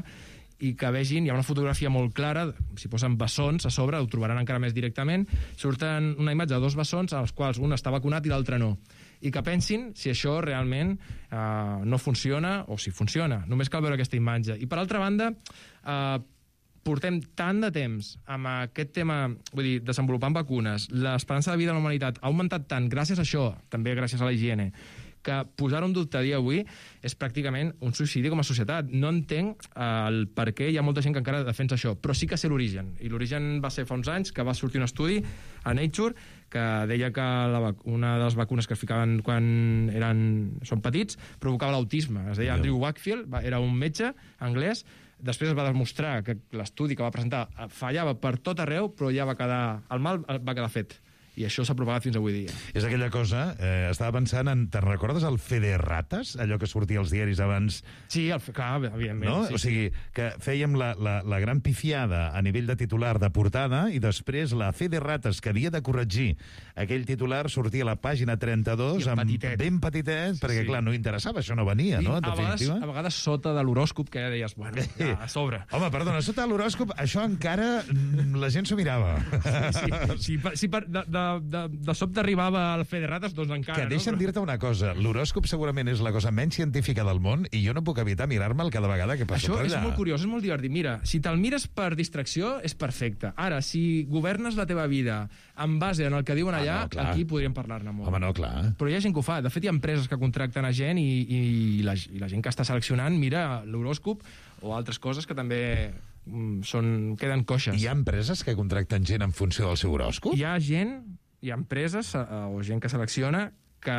i que vegin, hi ha una fotografia molt clara, si posen bessons a sobre, ho trobaran encara més directament, surten una imatge de 2 bessons als quals un està vacunat i l'altre no, i que pensin si això realment no funciona o si funciona. Només cal veure aquesta imatge. I per altra banda, portem tant de temps amb aquest tema, vull dir, desenvolupant vacunes, l'esperança de vida de la humanitat ha augmentat tant gràcies a això, també gràcies a la higiene, que posar-ho en dubte a dia d'avui és pràcticament un suïcidi com a societat. No entenc el per què hi ha molta gent que encara defensa això, però sí que sé l'origen. I l'origen va ser fa uns anys que va sortir un estudi a Nature que deia que una de les vacunes que es ficaven quan són petits provocava l'autisme. Es deia Andrew Wakefield, era un metge anglès. Després es va demostrar que l'estudi que va presentar fallava per tot arreu, però ja va quedar... el mal va quedar fet. I això s'ha propagat fins avui dia. És aquella cosa, estava pensant en... Te'n recordes el Fe de Rates? Allò que sortia als diaris abans? Sí, clar, evidentment. No? Sí, o sigui, que fèiem la gran pifiada a nivell de titular de portada i després la Fe de Rates, que havia de corregir aquell titular, sortia a la pàgina 32 ben petitet, perquè, clar, no interessava, això no venia, no? En definitiva. A vegades sota de l'horòscop, que ja deies, bueno, ja, a sobre. Home, perdona, sota de l'horòscop, això encara la gent s'ho mirava. Sí. Si de sobte arribava al Fe de Rates, doncs encara, que deixa'm dir-te una cosa, l'horòscop segurament és la cosa menys científica del món i jo no puc evitar mirar-me'l cada vegada que passo per allà. Això és molt curiós, és molt divertit. Mira, si te'l mires per distracció, és perfecte. Ara, si governes la teva vida en base en el que diuen allà, aquí podríem parlar-ne molt. Home, no, clar. Però hi ha gent que ho fa. De fet, hi ha empreses que contracten a gent i la gent que està seleccionant mira l'horòscop o altres coses que també queden coixes. Hi ha empreses que contracten gent en funció del seu horòscop? Hi ha empreses o gent que selecciona que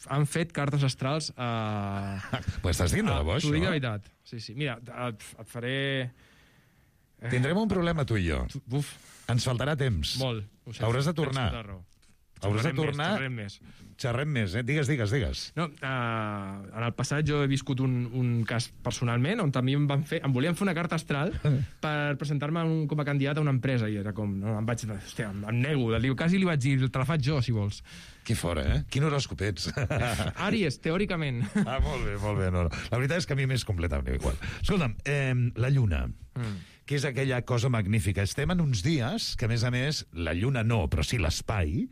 han fet cartes astrals Ho estàs dient de debò, això? T'ho dic de veritat. Sí. Mira, et faré... Tindrem un problema, tu i jo. Ens faltarà temps. Molt. Hauràs de tornar. Hauràs de tornar... Xerrem més. Digues. No, en el passat jo he viscut un cas personalment on també em volien fer una carta astral per presentar-me com a candidat a una empresa i era com, no, em nego, quasi li vaig dir, te la faig jo, si vols. Que fora, Quin horòscop ets? Àries, teòricament. Molt bé. No. La veritat és que a mi m'és completament igual. Escolta'm, la Lluna, que és aquella cosa magnífica. Estem en uns dies que, a més, la Lluna no, però sí l'espai,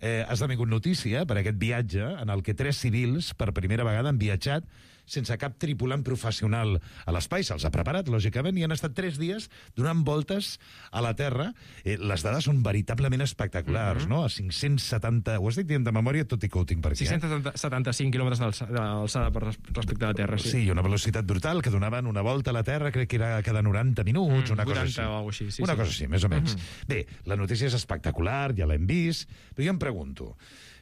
ha esdevingut notícia per aquest viatge en el que 3 civils per primera vegada han viatjat sense cap tripulant professional a l'espai. Se'ls ha preparat, lògicament, i han estat 3 dies donant voltes a la Terra. Les dades són veritablement espectaculars, no? A 570... Ho has dit dient de memòria, tot i que ho tinc per aquí. 675 quilòmetres d'alçada respecte a la Terra, sí. Sí, una velocitat brutal, que donaven una volta a la Terra, crec que era cada 90 minuts, una cosa així. 80 o alguna cosa així. Una cosa així, més o menys. Bé, la notícia és espectacular, ja l'hem vist, però jo em pregunto,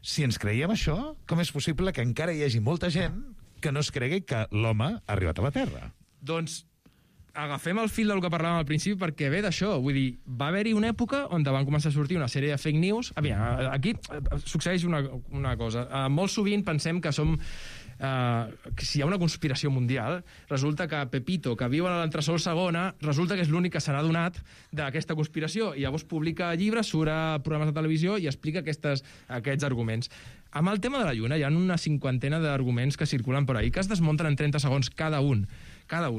si ens creiem això, com és possible que encara hi hagi molta gent que no es cregui que l'home ha arribat a la Terra? Doncs agafem el fil del que parlàvem al principi perquè ve d'això. Vull dir, va haver-hi una època on van començar a sortir una sèrie de fake news. Aquí succeeix una cosa. Molt sovint pensem que som... si hi ha una conspiració mundial, resulta que Pepito, que viu a l'entresòl segona, resulta que és l'únic que se n'ha donat d'aquesta conspiració, i llavors publica llibres, surt a programes de televisió i explica aquests arguments. Amb el tema de la Lluna hi ha una 50ena d'arguments que circulen per ahí, que es desmunten en 30 segons cada un,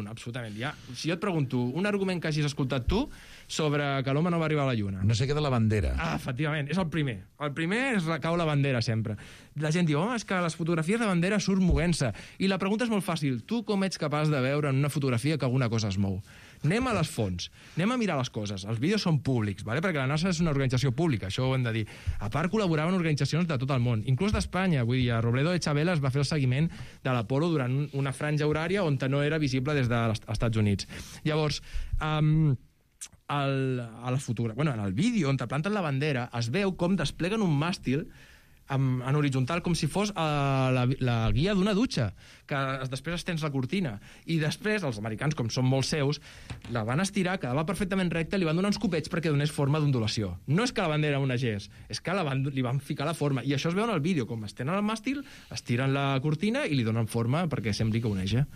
absolutament. Si jo et pregunto un argument que hagis escoltat tu sobre que l'home no va arribar a la Lluna. No sé què de la bandera. Efectivament, és el primer. El primer és recau la bandera, sempre. La gent diu, és que les fotografies de bandera surt movent-se. I la pregunta és molt fàcil. Tu com ets capaç de veure en una fotografia que alguna cosa es mou? Anem a les fonts, anem a mirar les coses. Els vídeos són públics, perquè la NASA és una organització pública, això ho hem de dir. A part, col·laboraven organitzacions de tot el món, inclús d'Espanya. Vull dir, a Robledo de Chabela es va fer el seguiment de l'Apolo durant una franja horària on no era visible des dels Estats Units. Llavors, en el vídeo on te planten la bandera es veu com despleguen un màstil en horitzontal, com si fos la guia d'una dutxa, que després es tens la cortina. I després, els americans, com són molt seus, la van estirar, quedava perfectament recta, li van donar uns copets perquè donés forma d'ondulació. No és que la bandera onegés, és que li van ficar la forma. I això es veu en el vídeo, com estenen el màstil, estiren la cortina i li donen forma perquè sembli que oneja.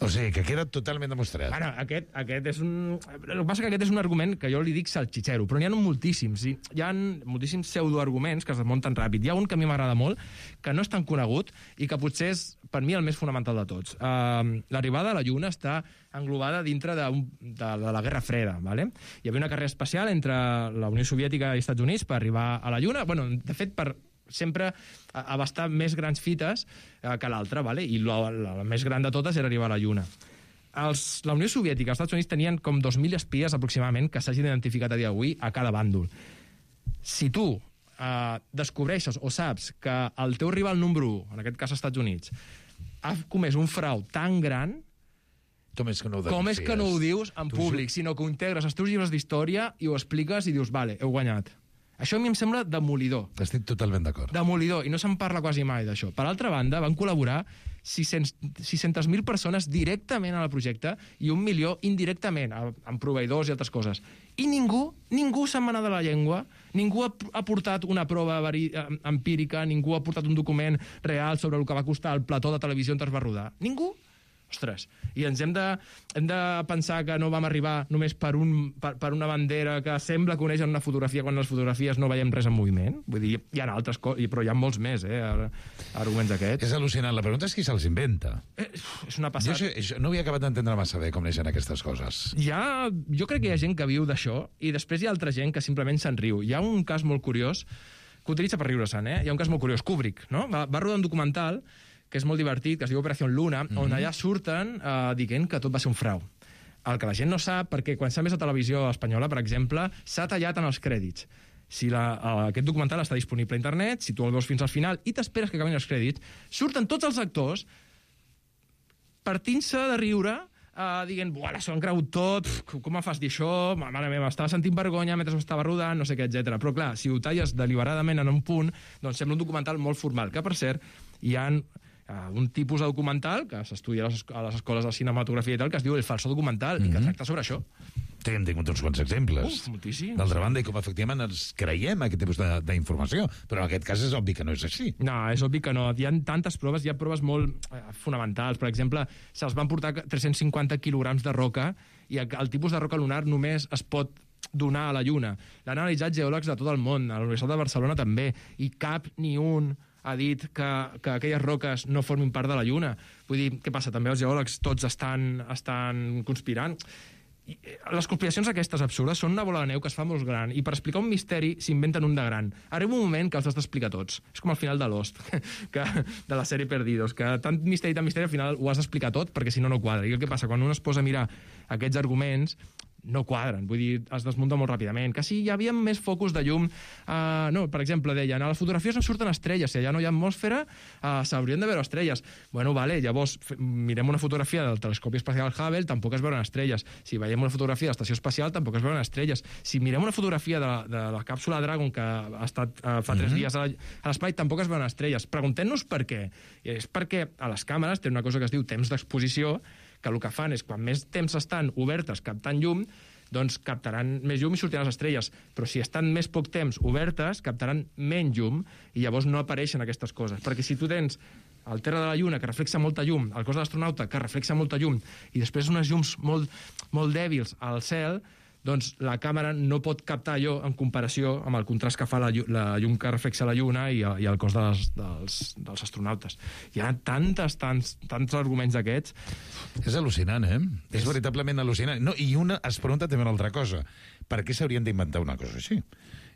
O sigui, que queda totalment demostrat. Bueno, aquest és un... El que passa que aquest és un argument que jo li dic salchichero, però n'hi ha moltíssims. Hi ha moltíssims pseudoarguments que es desmunten ràpid. Hi ha un que a mi m'agrada molt, que no és tan conegut i que potser és, per mi, el més fonamental de tots. L'arribada a la Lluna està englobada dintre de la Guerra Freda. ¿vale? Hi havia una carrera espacial entre la Unió Soviètica i els Estats Units per arribar a la Lluna. Bueno, de fet, per sempre abastar més grans fites que l'altra, ¿vale? I la més gran de totes era arribar a la Lluna. La Unió Soviètica i els Estats Units tenien com 2.000 espies aproximadament que s'hagin identificat a dia d'avui a cada bàndol. Si tu descobreixes o saps que el teu rival número 1, en aquest cas als Estats Units, ha comès un frau tan gran, com és que no ho dius en públic, sinó que ho integres als teus llibres d'història i ho expliques i dius, vale, heu guanyat. Això a mi em sembla demolidor. Estic totalment d'acord. Demolidor, i no se'n parla quasi mai d'això. Per altra banda, van col·laborar 600.000 persones directament al projecte i 1 milió indirectament, amb proveïdors i altres coses. I ningú se'n va anar de la llengua, ningú ha portat una prova empírica, ningú ha portat un document real sobre el que va costar el plató de televisió on es va rodar. Ningú. Ostres, i ens hem de pensar que no vam arribar només per una bandera que sembla que uneix en una fotografia quan en les fotografies no veiem res en moviment? Vull dir, hi ha altres coses, però hi ha molts més, arguments aquests. És al·lucinant. La pregunta és qui se'ls inventa. És una passada. Jo no havia acabat d'entendre massa bé com neixen aquestes coses. Jo crec que hi ha gent que viu d'això i després hi ha altra gent que simplement se'n riu. Hi ha un cas molt curiós que utilitza per riure-se'n, Hi ha un cas molt curiós. Kubrick, no? Va rodar un documental que és molt divertit, que es diu Operació Luna, on allà surten dient que tot va ser un frau. El que la gent no sap, perquè quan s'ha vist a televisió espanyola, per exemple, s'ha tallat en els crèdits. Si aquest documental està disponible a internet, si tu el veus fins al final i t'esperes que acabin els crèdits, surten tots els actors partint-se de riure, dient, buah, s'ho han cregut tot, com em fas dir això, mare meva, estava sentint vergonya mentre estava rodant, no sé què, etc. Però clar, si ho talles deliberadament en un punt, doncs sembla un documental molt formal, que per cert, hi ha un tipus de documental que s'estudia a les escoles de cinematografia i tal, que es diu el falso documental, i que tracta sobre això. Hem tingut uns quants exemples. Moltíssims. D'altra banda, i com efectivament ens creiem aquest tipus d'informació, però en aquest cas és obvi que no és així. No, és obvi que no. Hi ha tantes proves, hi ha proves molt fonamentals. Per exemple, se'ls van portar 350 quilograms de roca i el tipus de roca lunar només es pot donar a la Lluna. L'han analitzat geòlegs de tot el món, a la Universitat de Barcelona també, i cap ni un ha dit que aquelles roques no formin part de la Lluna. Vull dir, què passa? També els geòlegs tots estan conspirant. Les conspiracions aquestes absurdes són una bola de neu que es fa molt gran i per explicar un misteri s'inventen un de gran. Arriba un moment que els has d'explicar tots. És com al final de Lost, de la sèrie Perdidos, que tant misteri al final ho has d'explicar tot perquè si no, no quadra. I el que passa? Quan un es posa a mirar aquests arguments, no quadren, vull dir, es desmunta molt ràpidament. Que si hi havia més focus de llum... no, per exemple, deien, a les fotografies no surten estrelles, si allà no hi ha atmosfera, s'haurien de veure estrelles. Bueno, vale, llavors mirem una fotografia del telescopi espacial Hubble, tampoc es veuen estrelles. Si veiem una fotografia de l'estació espacial, tampoc es veuen estrelles. Si mirem una fotografia de la càpsula Dragon, que ha estat fa 3 dies a l'espai, tampoc es veuen estrelles. Preguntem-nos per què. És perquè a les càmeres tenen una cosa que es diu temps d'exposició, que el que fan és, quan més temps estan obertes captant llum, doncs captaran més llum i sortiran les estrelles. Però si estan més poc temps obertes, captaran menys llum i llavors no apareixen aquestes coses. Perquè si tu tens el terra de la Lluna, que reflexa molta llum, el cos de l'astronauta, que reflexa molta llum, i després unes llums molt, molt dèbils al cel, doncs la càmera no pot captar allò en comparació amb el contrast que fa la llum que reflexa la Lluna i el cos dels astronautes. Hi ha tants arguments d'aquests. És al·lucinant, És veritablement al·lucinant. No, i es pregunta també una altra cosa. Per què s'haurien d'inventar una cosa així?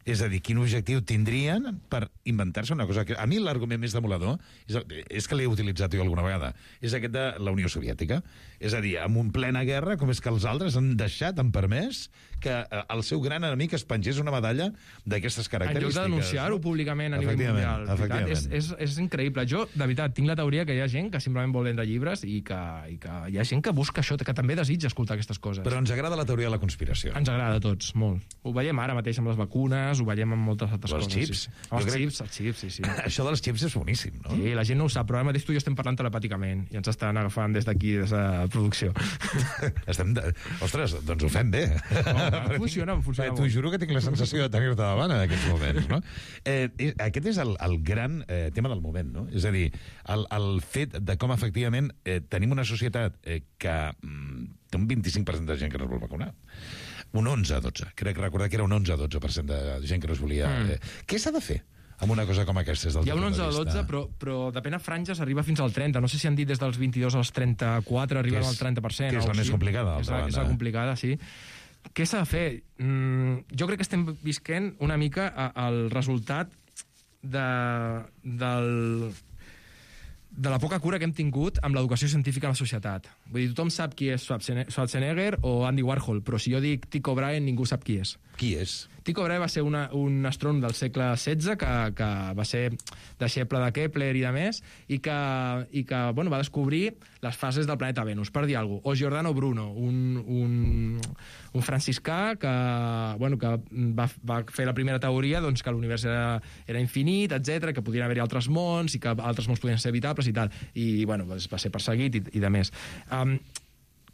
És a dir, quin objectiu tindrien per inventar-se una cosa... A mi l'argument més demolador és que l'he utilitzat jo alguna vegada. És aquest de la Unió Soviètica. És a dir, en un plena guerra, com és que els altres han deixat, han permès, que el seu gran enemic es pengés una medalla d'aquestes característiques. En lloc de denunciar-ho públicament a nivell mundial. Efectivament. És increïble. Jo, de veritat, tinc la teoria que hi ha gent que simplement vol vendre llibres i que hi ha gent que busca això, que també desitja escoltar aquestes coses. Però ens agrada la teoria de la conspiració. Ens agrada a tots, molt. Ho veiem ara mateix amb les vacunes, ho veiem en moltes altres Els coses. xips. Sí. Els xips, sí. Això dels xips és boníssim, no? Sí, la gent no ho sap, però ara mateix tu i jo estem parlant telepàticament i ens estan agafant des d'aquí, des de producció. Ostres, doncs ho fem bé. Funciona T'ho juro que tinc la sensació de tenir-te davant en aquests moments, no? Aquest és el gran tema del moment, no? És a dir, el fet de com efectivament tenim una societat que té un 25% de gent que no es vol vacunar. Un 11-12. Crec recordar que era un 11-12% de gent que no es volia... Què s'ha de fer amb una cosa com aquesta? Hi ha un 11-12, però depèn a franges, arriba fins al 30. No sé si han dit des dels 22 als 34, arriben al 30%. Que és la més complicada, d'altra banda. És la complicada, sí. Què s'ha de fer? Jo crec que estem visquent una mica el resultat de la poca cura que hem tingut amb l'educació científica a la societat. Vull dir, tothom sap qui és Schwarzenegger o Andy Warhol, però si jo dic Tycho Brahe, ningú sap qui és. Qui és? Tycho Brahe va ser un astrònom del segle XVI que va ser deixeble de Kepler i de més, i que bueno, va descobrir les fases del planeta Venus, per dir alguna cosa. O Giordano Bruno, un franciscà que va fer la primera teoria doncs, que l'univers era infinit, etc, que podien haver-hi altres mons i que altres mons podien ser habitables i tal. I bueno, va ser perseguit i de més.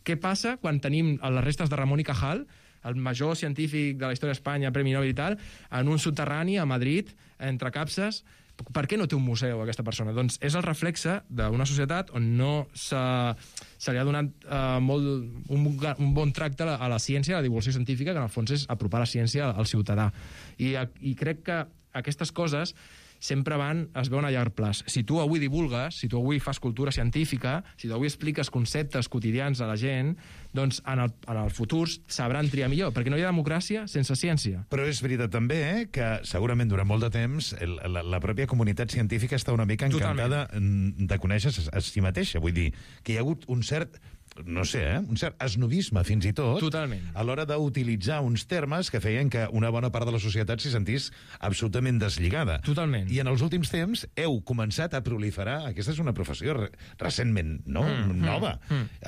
Què passa quan tenim les restes de Ramon y Cajal, el major científic de la història d'Espanya, Premi Nobel i tal, en un soterrani a Madrid, entre capses? Per què no té un museu, aquesta persona? Doncs és el reflexe d'una societat on no se li ha donat un bon tracte a la ciència, a la divulgació científica, que en el fons és apropar la ciència al ciutadà. I crec que aquestes coses sempre es veuen a llarg plaç. Si tu avui divulgues, si tu avui fas cultura científica, si tu avui expliques conceptes quotidians a la gent, doncs en el futur sabran triar millor, perquè no hi ha democràcia sense ciència. Però és veritat també que segurament durant molt de temps la pròpia comunitat científica està una mica encantada de conèixer a si mateixa. Vull dir, que hi ha hagut un cert... no sé, un cert esnovisme fins i tot. Totalment. A l'hora d'utilitzar uns termes que feien que una bona part de la societat s'hi sentís absolutament deslligada. Totalment. I en els últims temps heu començat a proliferar, aquesta és una professió recentment nova,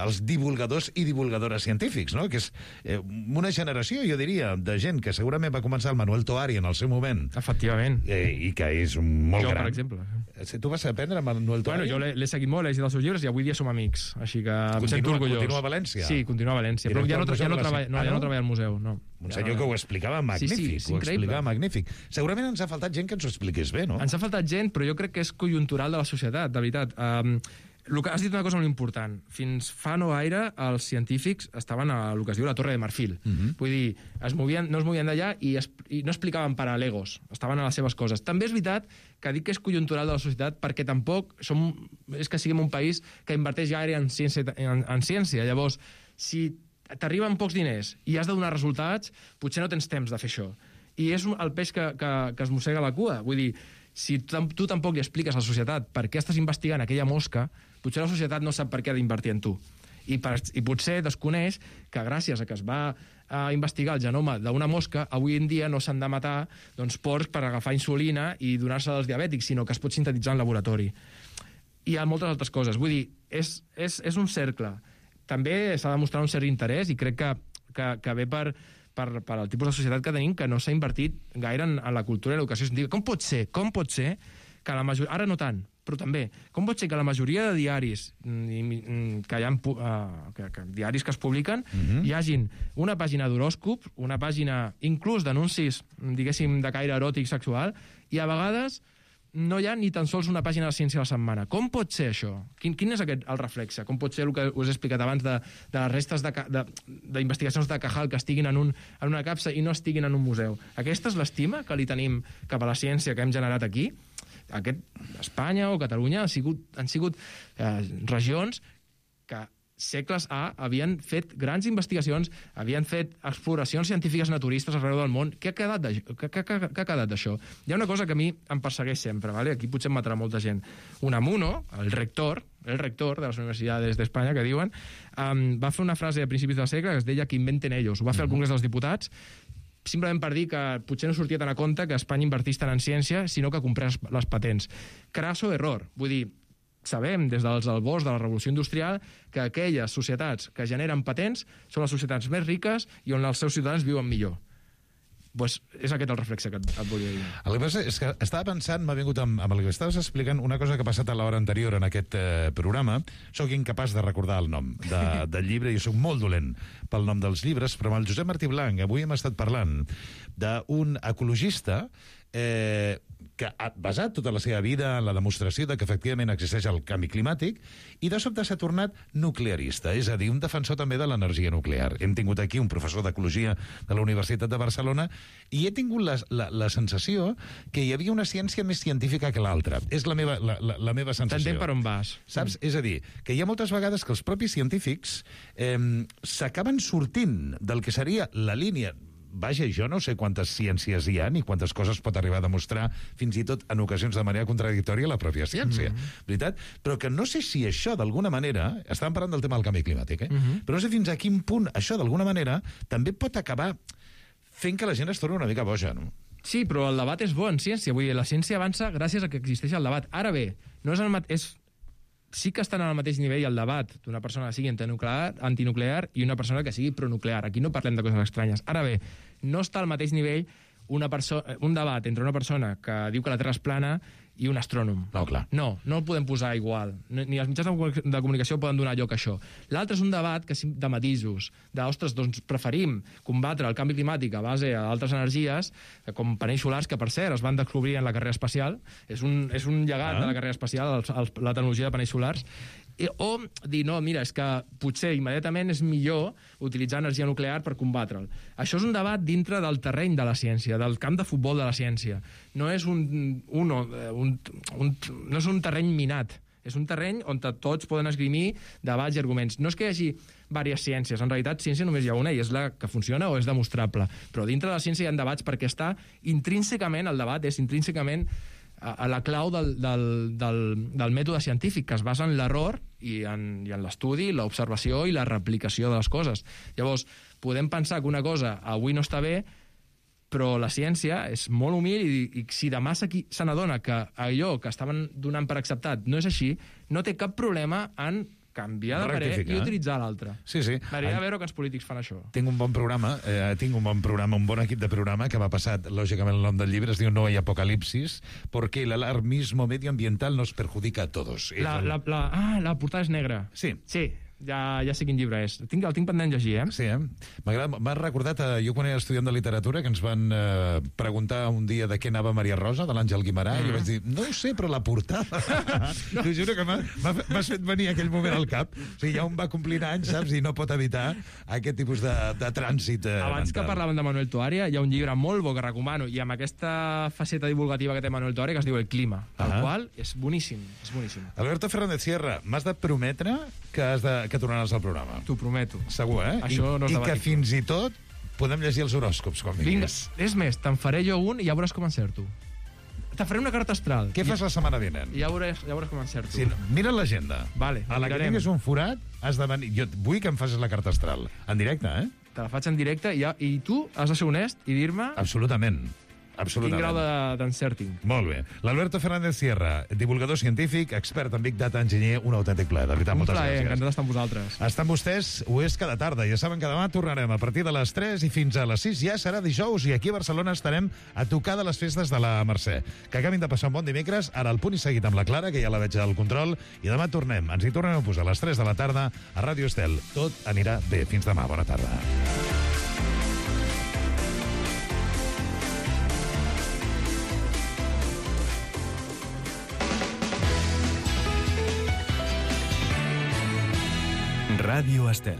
els divulgadors i divulgadores científics, no? Que és una generació, jo diria, de gent que segurament va començar el Manuel Toari en el seu moment. Efectivament. I que és molt gran. Jo, per exemple. Tu vas aprendre Manuel Toari? Bueno, jo l'he seguit molt, he llegit els seus llibres i avui dia som amics, així que em sento orgullós. Continua a València? Sí, continua a València, però ja no treballa al museu. Un senyor que ho explicava magnífic, ho explicava magnífic. Segurament ens ha faltat gent que ens ho expliqués bé, no? Ens ha faltat gent, però jo crec que és conjuntural de la societat, de veritat. Has dit una cosa molt important. Fins fa no gaire els científics estaven a el que es diu la Torre de Marfil. Vull dir, no es movien d'allà i no explicaven paral·legos, estaven a les seves coses. També és veritat que dic que és conjuntural de la societat perquè tampoc és que siguem un país que inverteix gaire en ciència. Llavors, si t'arriben pocs diners i has de donar resultats, potser no tens temps de fer això. I és el peix que es mossega la cua. Vull dir, si tu tampoc li expliques a la societat per què estàs investigant aquella mosca, potser la societat no sap per què ha d'invertir en tu. I potser desconeix que gràcies a que es va investigar el genoma d'una mosca, avui en dia no s'han de matar porcs per agafar insulina i donar-se als diabètics, sinó que es pot sintetitzar en laboratori. I hi ha moltes altres coses. Vull dir, és un cercle. També s'ha de mostrar un cert interès i crec que ve per al tipus de societat que tenim, que no s'ha invertit gaire en la cultura i l'educació científica. Com pot ser que la majoria... Ara no tant, però també. Com pot ser que la majoria de diaris que hi ha diaris que es publiquen hi hagin una pàgina d'horòscop, una pàgina inclús d'anuncis, diguéssim, de caire eròtic sexual, i a vegades no hi ha ni tan sols una pàgina de ciència a la setmana. Com pot ser això? Quin és el reflexe? Com pot ser el que us he explicat abans de les restes d'investigacions de Cajal que estiguin en una capsa i no estiguin en un museu? Aquesta és l'estima que li tenim cap a la ciència que hem generat aquí? Espanya o Catalunya han sigut regions que segles havien fet grans investigacions, havien fet exploracions científiques naturistes arreu del món. Què ha quedat d'això? Hi ha una cosa que a mi em persegueix sempre, ¿vale? Aquí potser em matarà molta gent. Unamuno, el rector de les universitats d'Espanya, que diuen, va fer una frase a principis del segle que es deia que inventen ellos. Ho va fer al Congrés dels Diputats, simplement per dir que potser no sortia tan a compte que Espanya invertís tant en ciència, sinó que comprés les patents. Crasso error. Vull dir, sabem des dels albors de la revolució industrial que aquelles societats que generen patents són les societats més riques i on els seus ciutadans viuen millor. Pues és aquest el reflexe que et volia dir. El que passa és que estava pensant, m'ha vingut amb el que estaves explicant, una cosa que ha passat a l'hora anterior en aquest programa. Soc incapaç de recordar el nom del llibre, i soc molt dolent pel nom dels llibres, però amb el Josep Martí Blanc avui hem estat parlant d'un ecologista que ha basat tota la seva vida en la demostració de que efectivament existeix el canvi climàtic, i de sobte s'ha tornat nuclearista, és a dir, un defensor també de l'energia nuclear. Hem tingut aquí un professor d'ecologia de la Universitat de Barcelona i he tingut la sensació que hi havia una ciència més científica que l'altra. És la meva sensació. T'entenc per on vas. Saps? És a dir, que hi ha moltes vegades que els propis científics s'acaben sortint del que seria la línia. Vaja, jo no sé quantes ciències hi ha ni quantes coses pot arribar a demostrar, fins i tot en ocasions de manera contradictòria, la pròpia ciència. Veritat? Però que no sé si això, d'alguna manera, estàvem parlant del tema del canvi climàtic, però no sé fins a quin punt això, d'alguna manera, també pot acabar fent que la gent es torni una mica boja, no? Sí, però el debat és bo en ciència. Vull dir, la ciència avança gràcies a que existeix el debat. Ara bé, no és el mateix... Sí que estan al mateix nivell el debat d'una persona que sigui antinuclear i una persona que sigui pronuclear. Aquí no parlem de coses estranyes. Ara bé, no està al mateix nivell un debat entre una persona que diu que la Terra és plana i un astrònom. No, clar. No el podem posar igual. Ni els mitjans de comunicació poden donar lloc a això. L'altre és un debat de matisos, ostres, doncs preferim combatre el canvi climàtic a base d'altres energies, com panells solars, que per cert es van descobrir en la carrera espacial. És un llegat de la carrera espacial, la tecnologia de panells solars. O dir, no, mira, és que potser immediatament és millor utilitzar energia nuclear per combatre'l. Això és un debat dintre del terreny de la ciència, del camp de futbol de la ciència. No és no és un terreny minat, és un terreny on tots poden esgrimir debats i arguments. No és que hi hagi diverses ciències, en realitat ciència només hi ha una i és la que funciona o és demostrable, però dintre de la ciència hi ha debats perquè està intrínsecament, el debat és intrínsecament a la clau del mètode científic, que es basa en l'error i en l'estudi, l'observació i la replicació de les coses. Llavors, podem pensar que una cosa avui no està bé, però la ciència és molt humil i si demà se n'adona que allò que estaven donant per acceptat no és així, no té cap problema en canviar de parer i utilitzar l'altre. Sí. M'agradaria veure que els polítics fan això. Tinc un bon programa, un bon equip de programa que m'ha passat, lògicament, el nom del llibre, es diu No hay apocalipsis, porque el alarmismo medioambiental nos perjudica a todos. La portada és negra. Sí. Ja sé quin llibre és. El tinc pendent de llegir, Sí, m'ha recordat, jo quan era estudiant de literatura, que ens van preguntar un dia de què anava Maria Rosa, de l'Àngel Guimarà, i jo vaig dir, no ho sé, però la portada... T'ho juro que m'has fet venir aquell moment al cap. O sigui, ja un va complint anys, saps, i no pot evitar aquest tipus de trànsit Abans mental. que parlàvem de Manuel Toaria, hi ha un llibre molt bo que recomano, i amb aquesta faceta divulgativa que té Manuel Toaria, que es diu El clima, el qual és boníssim, és boníssim. Alberto Fernández Sierra, m'has de prometre que tornaràs al programa. T'ho prometo. Segur, Això no és I que fins i tot podem llegir els horòscops, quan vinguis. Vinga, és més, te'n faré jo un i ja veuràs com encerto. Te faré una carta astral. Què fas la setmana vinent? I ja veuràs com encerto. Sí, mira l'agenda. Vale, a la que tinguis un forat, has de venir... Jo vull que em facis la carta astral. En directe, Te la faig en directe i tu has de ser honest i dir-me... Absolutament. Quin grau d'encerting. Molt bé. L'Alberto Fernández Sierra, divulgador científic, expert en Big Data, enginyer, un autèntic plaer. De veritat, moltes gràcies. Encantat d'estar amb vosaltres. Estar amb vostès ho és cada tarda. Ja saben que demà tornarem a partir de les 3 i fins a les 6. Ja serà dijous i aquí a Barcelona estarem a tocar de les festes de la Mercè. Que acabin de passar un bon dimecres. Ara el punt i seguit amb la Clara, que ja la veig al control. I demà tornem. Ens hi tornem a posar a les 3 de la tarda a Ràdio Estel. Tot anirà bé. Fins demà. Bona tarda. Ràdio Estel.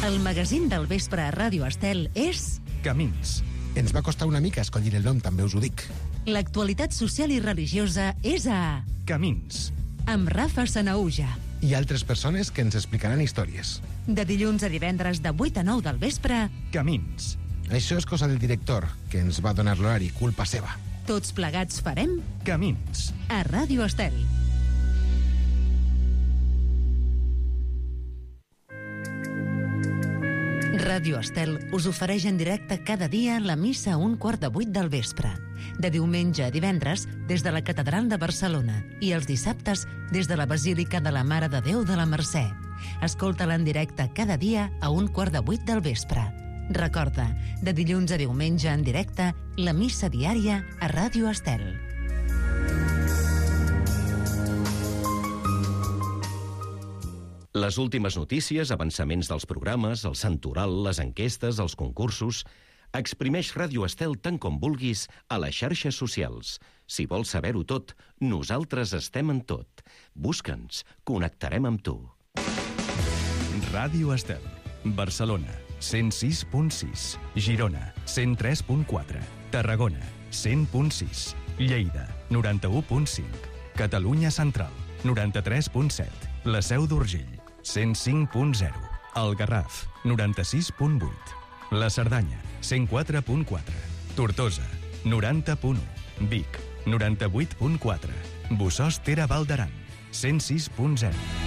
El magazín del vespre a Ràdio Estel és... Camins. Ens va costar una mica escollir el nom, també us ho dic. L'actualitat social i religiosa és a... Camins. Amb Rafa Sanaúja. I altres persones que ens explicaran històries. De dilluns a divendres de 8 a 9 del vespre... Camins. Això és cosa del director, que ens va donar l'horari, culpa seva. Tots plegats farem... Camins. A Ràdio Estel. Ràdio Estel us ofereix en directe cada dia la missa a 7:15 del vespre. De diumenge a divendres des de la Catedral de Barcelona i els dissabtes des de la Basílica de la Mare de Déu de la Mercè. Escolta-la en directe cada dia a 7:15 del vespre. Recorda, de dilluns a diumenge en directe, la missa diària a Ràdio Estel. Les últimes notícies, avançaments dels programes, el santoral, les enquestes, els concursos... Exprimeix Ràdio Estel tant com vulguis a les xarxes socials. Si vols saber-ho tot, nosaltres estem en tot. Busca'ns, connectarem amb tu. Ràdio Estel. Barcelona, 106.6. Girona, 103.4. Tarragona, 100.6. Lleida, 91.5. Catalunya Central, 93.7. La Seu d'Urgell, 105.0. El Garraf, 96.8. La Cerdanya, 104.4. Tortosa, 90.1. Vic, 98.4. Bossòst Val d'Aran, 106.0.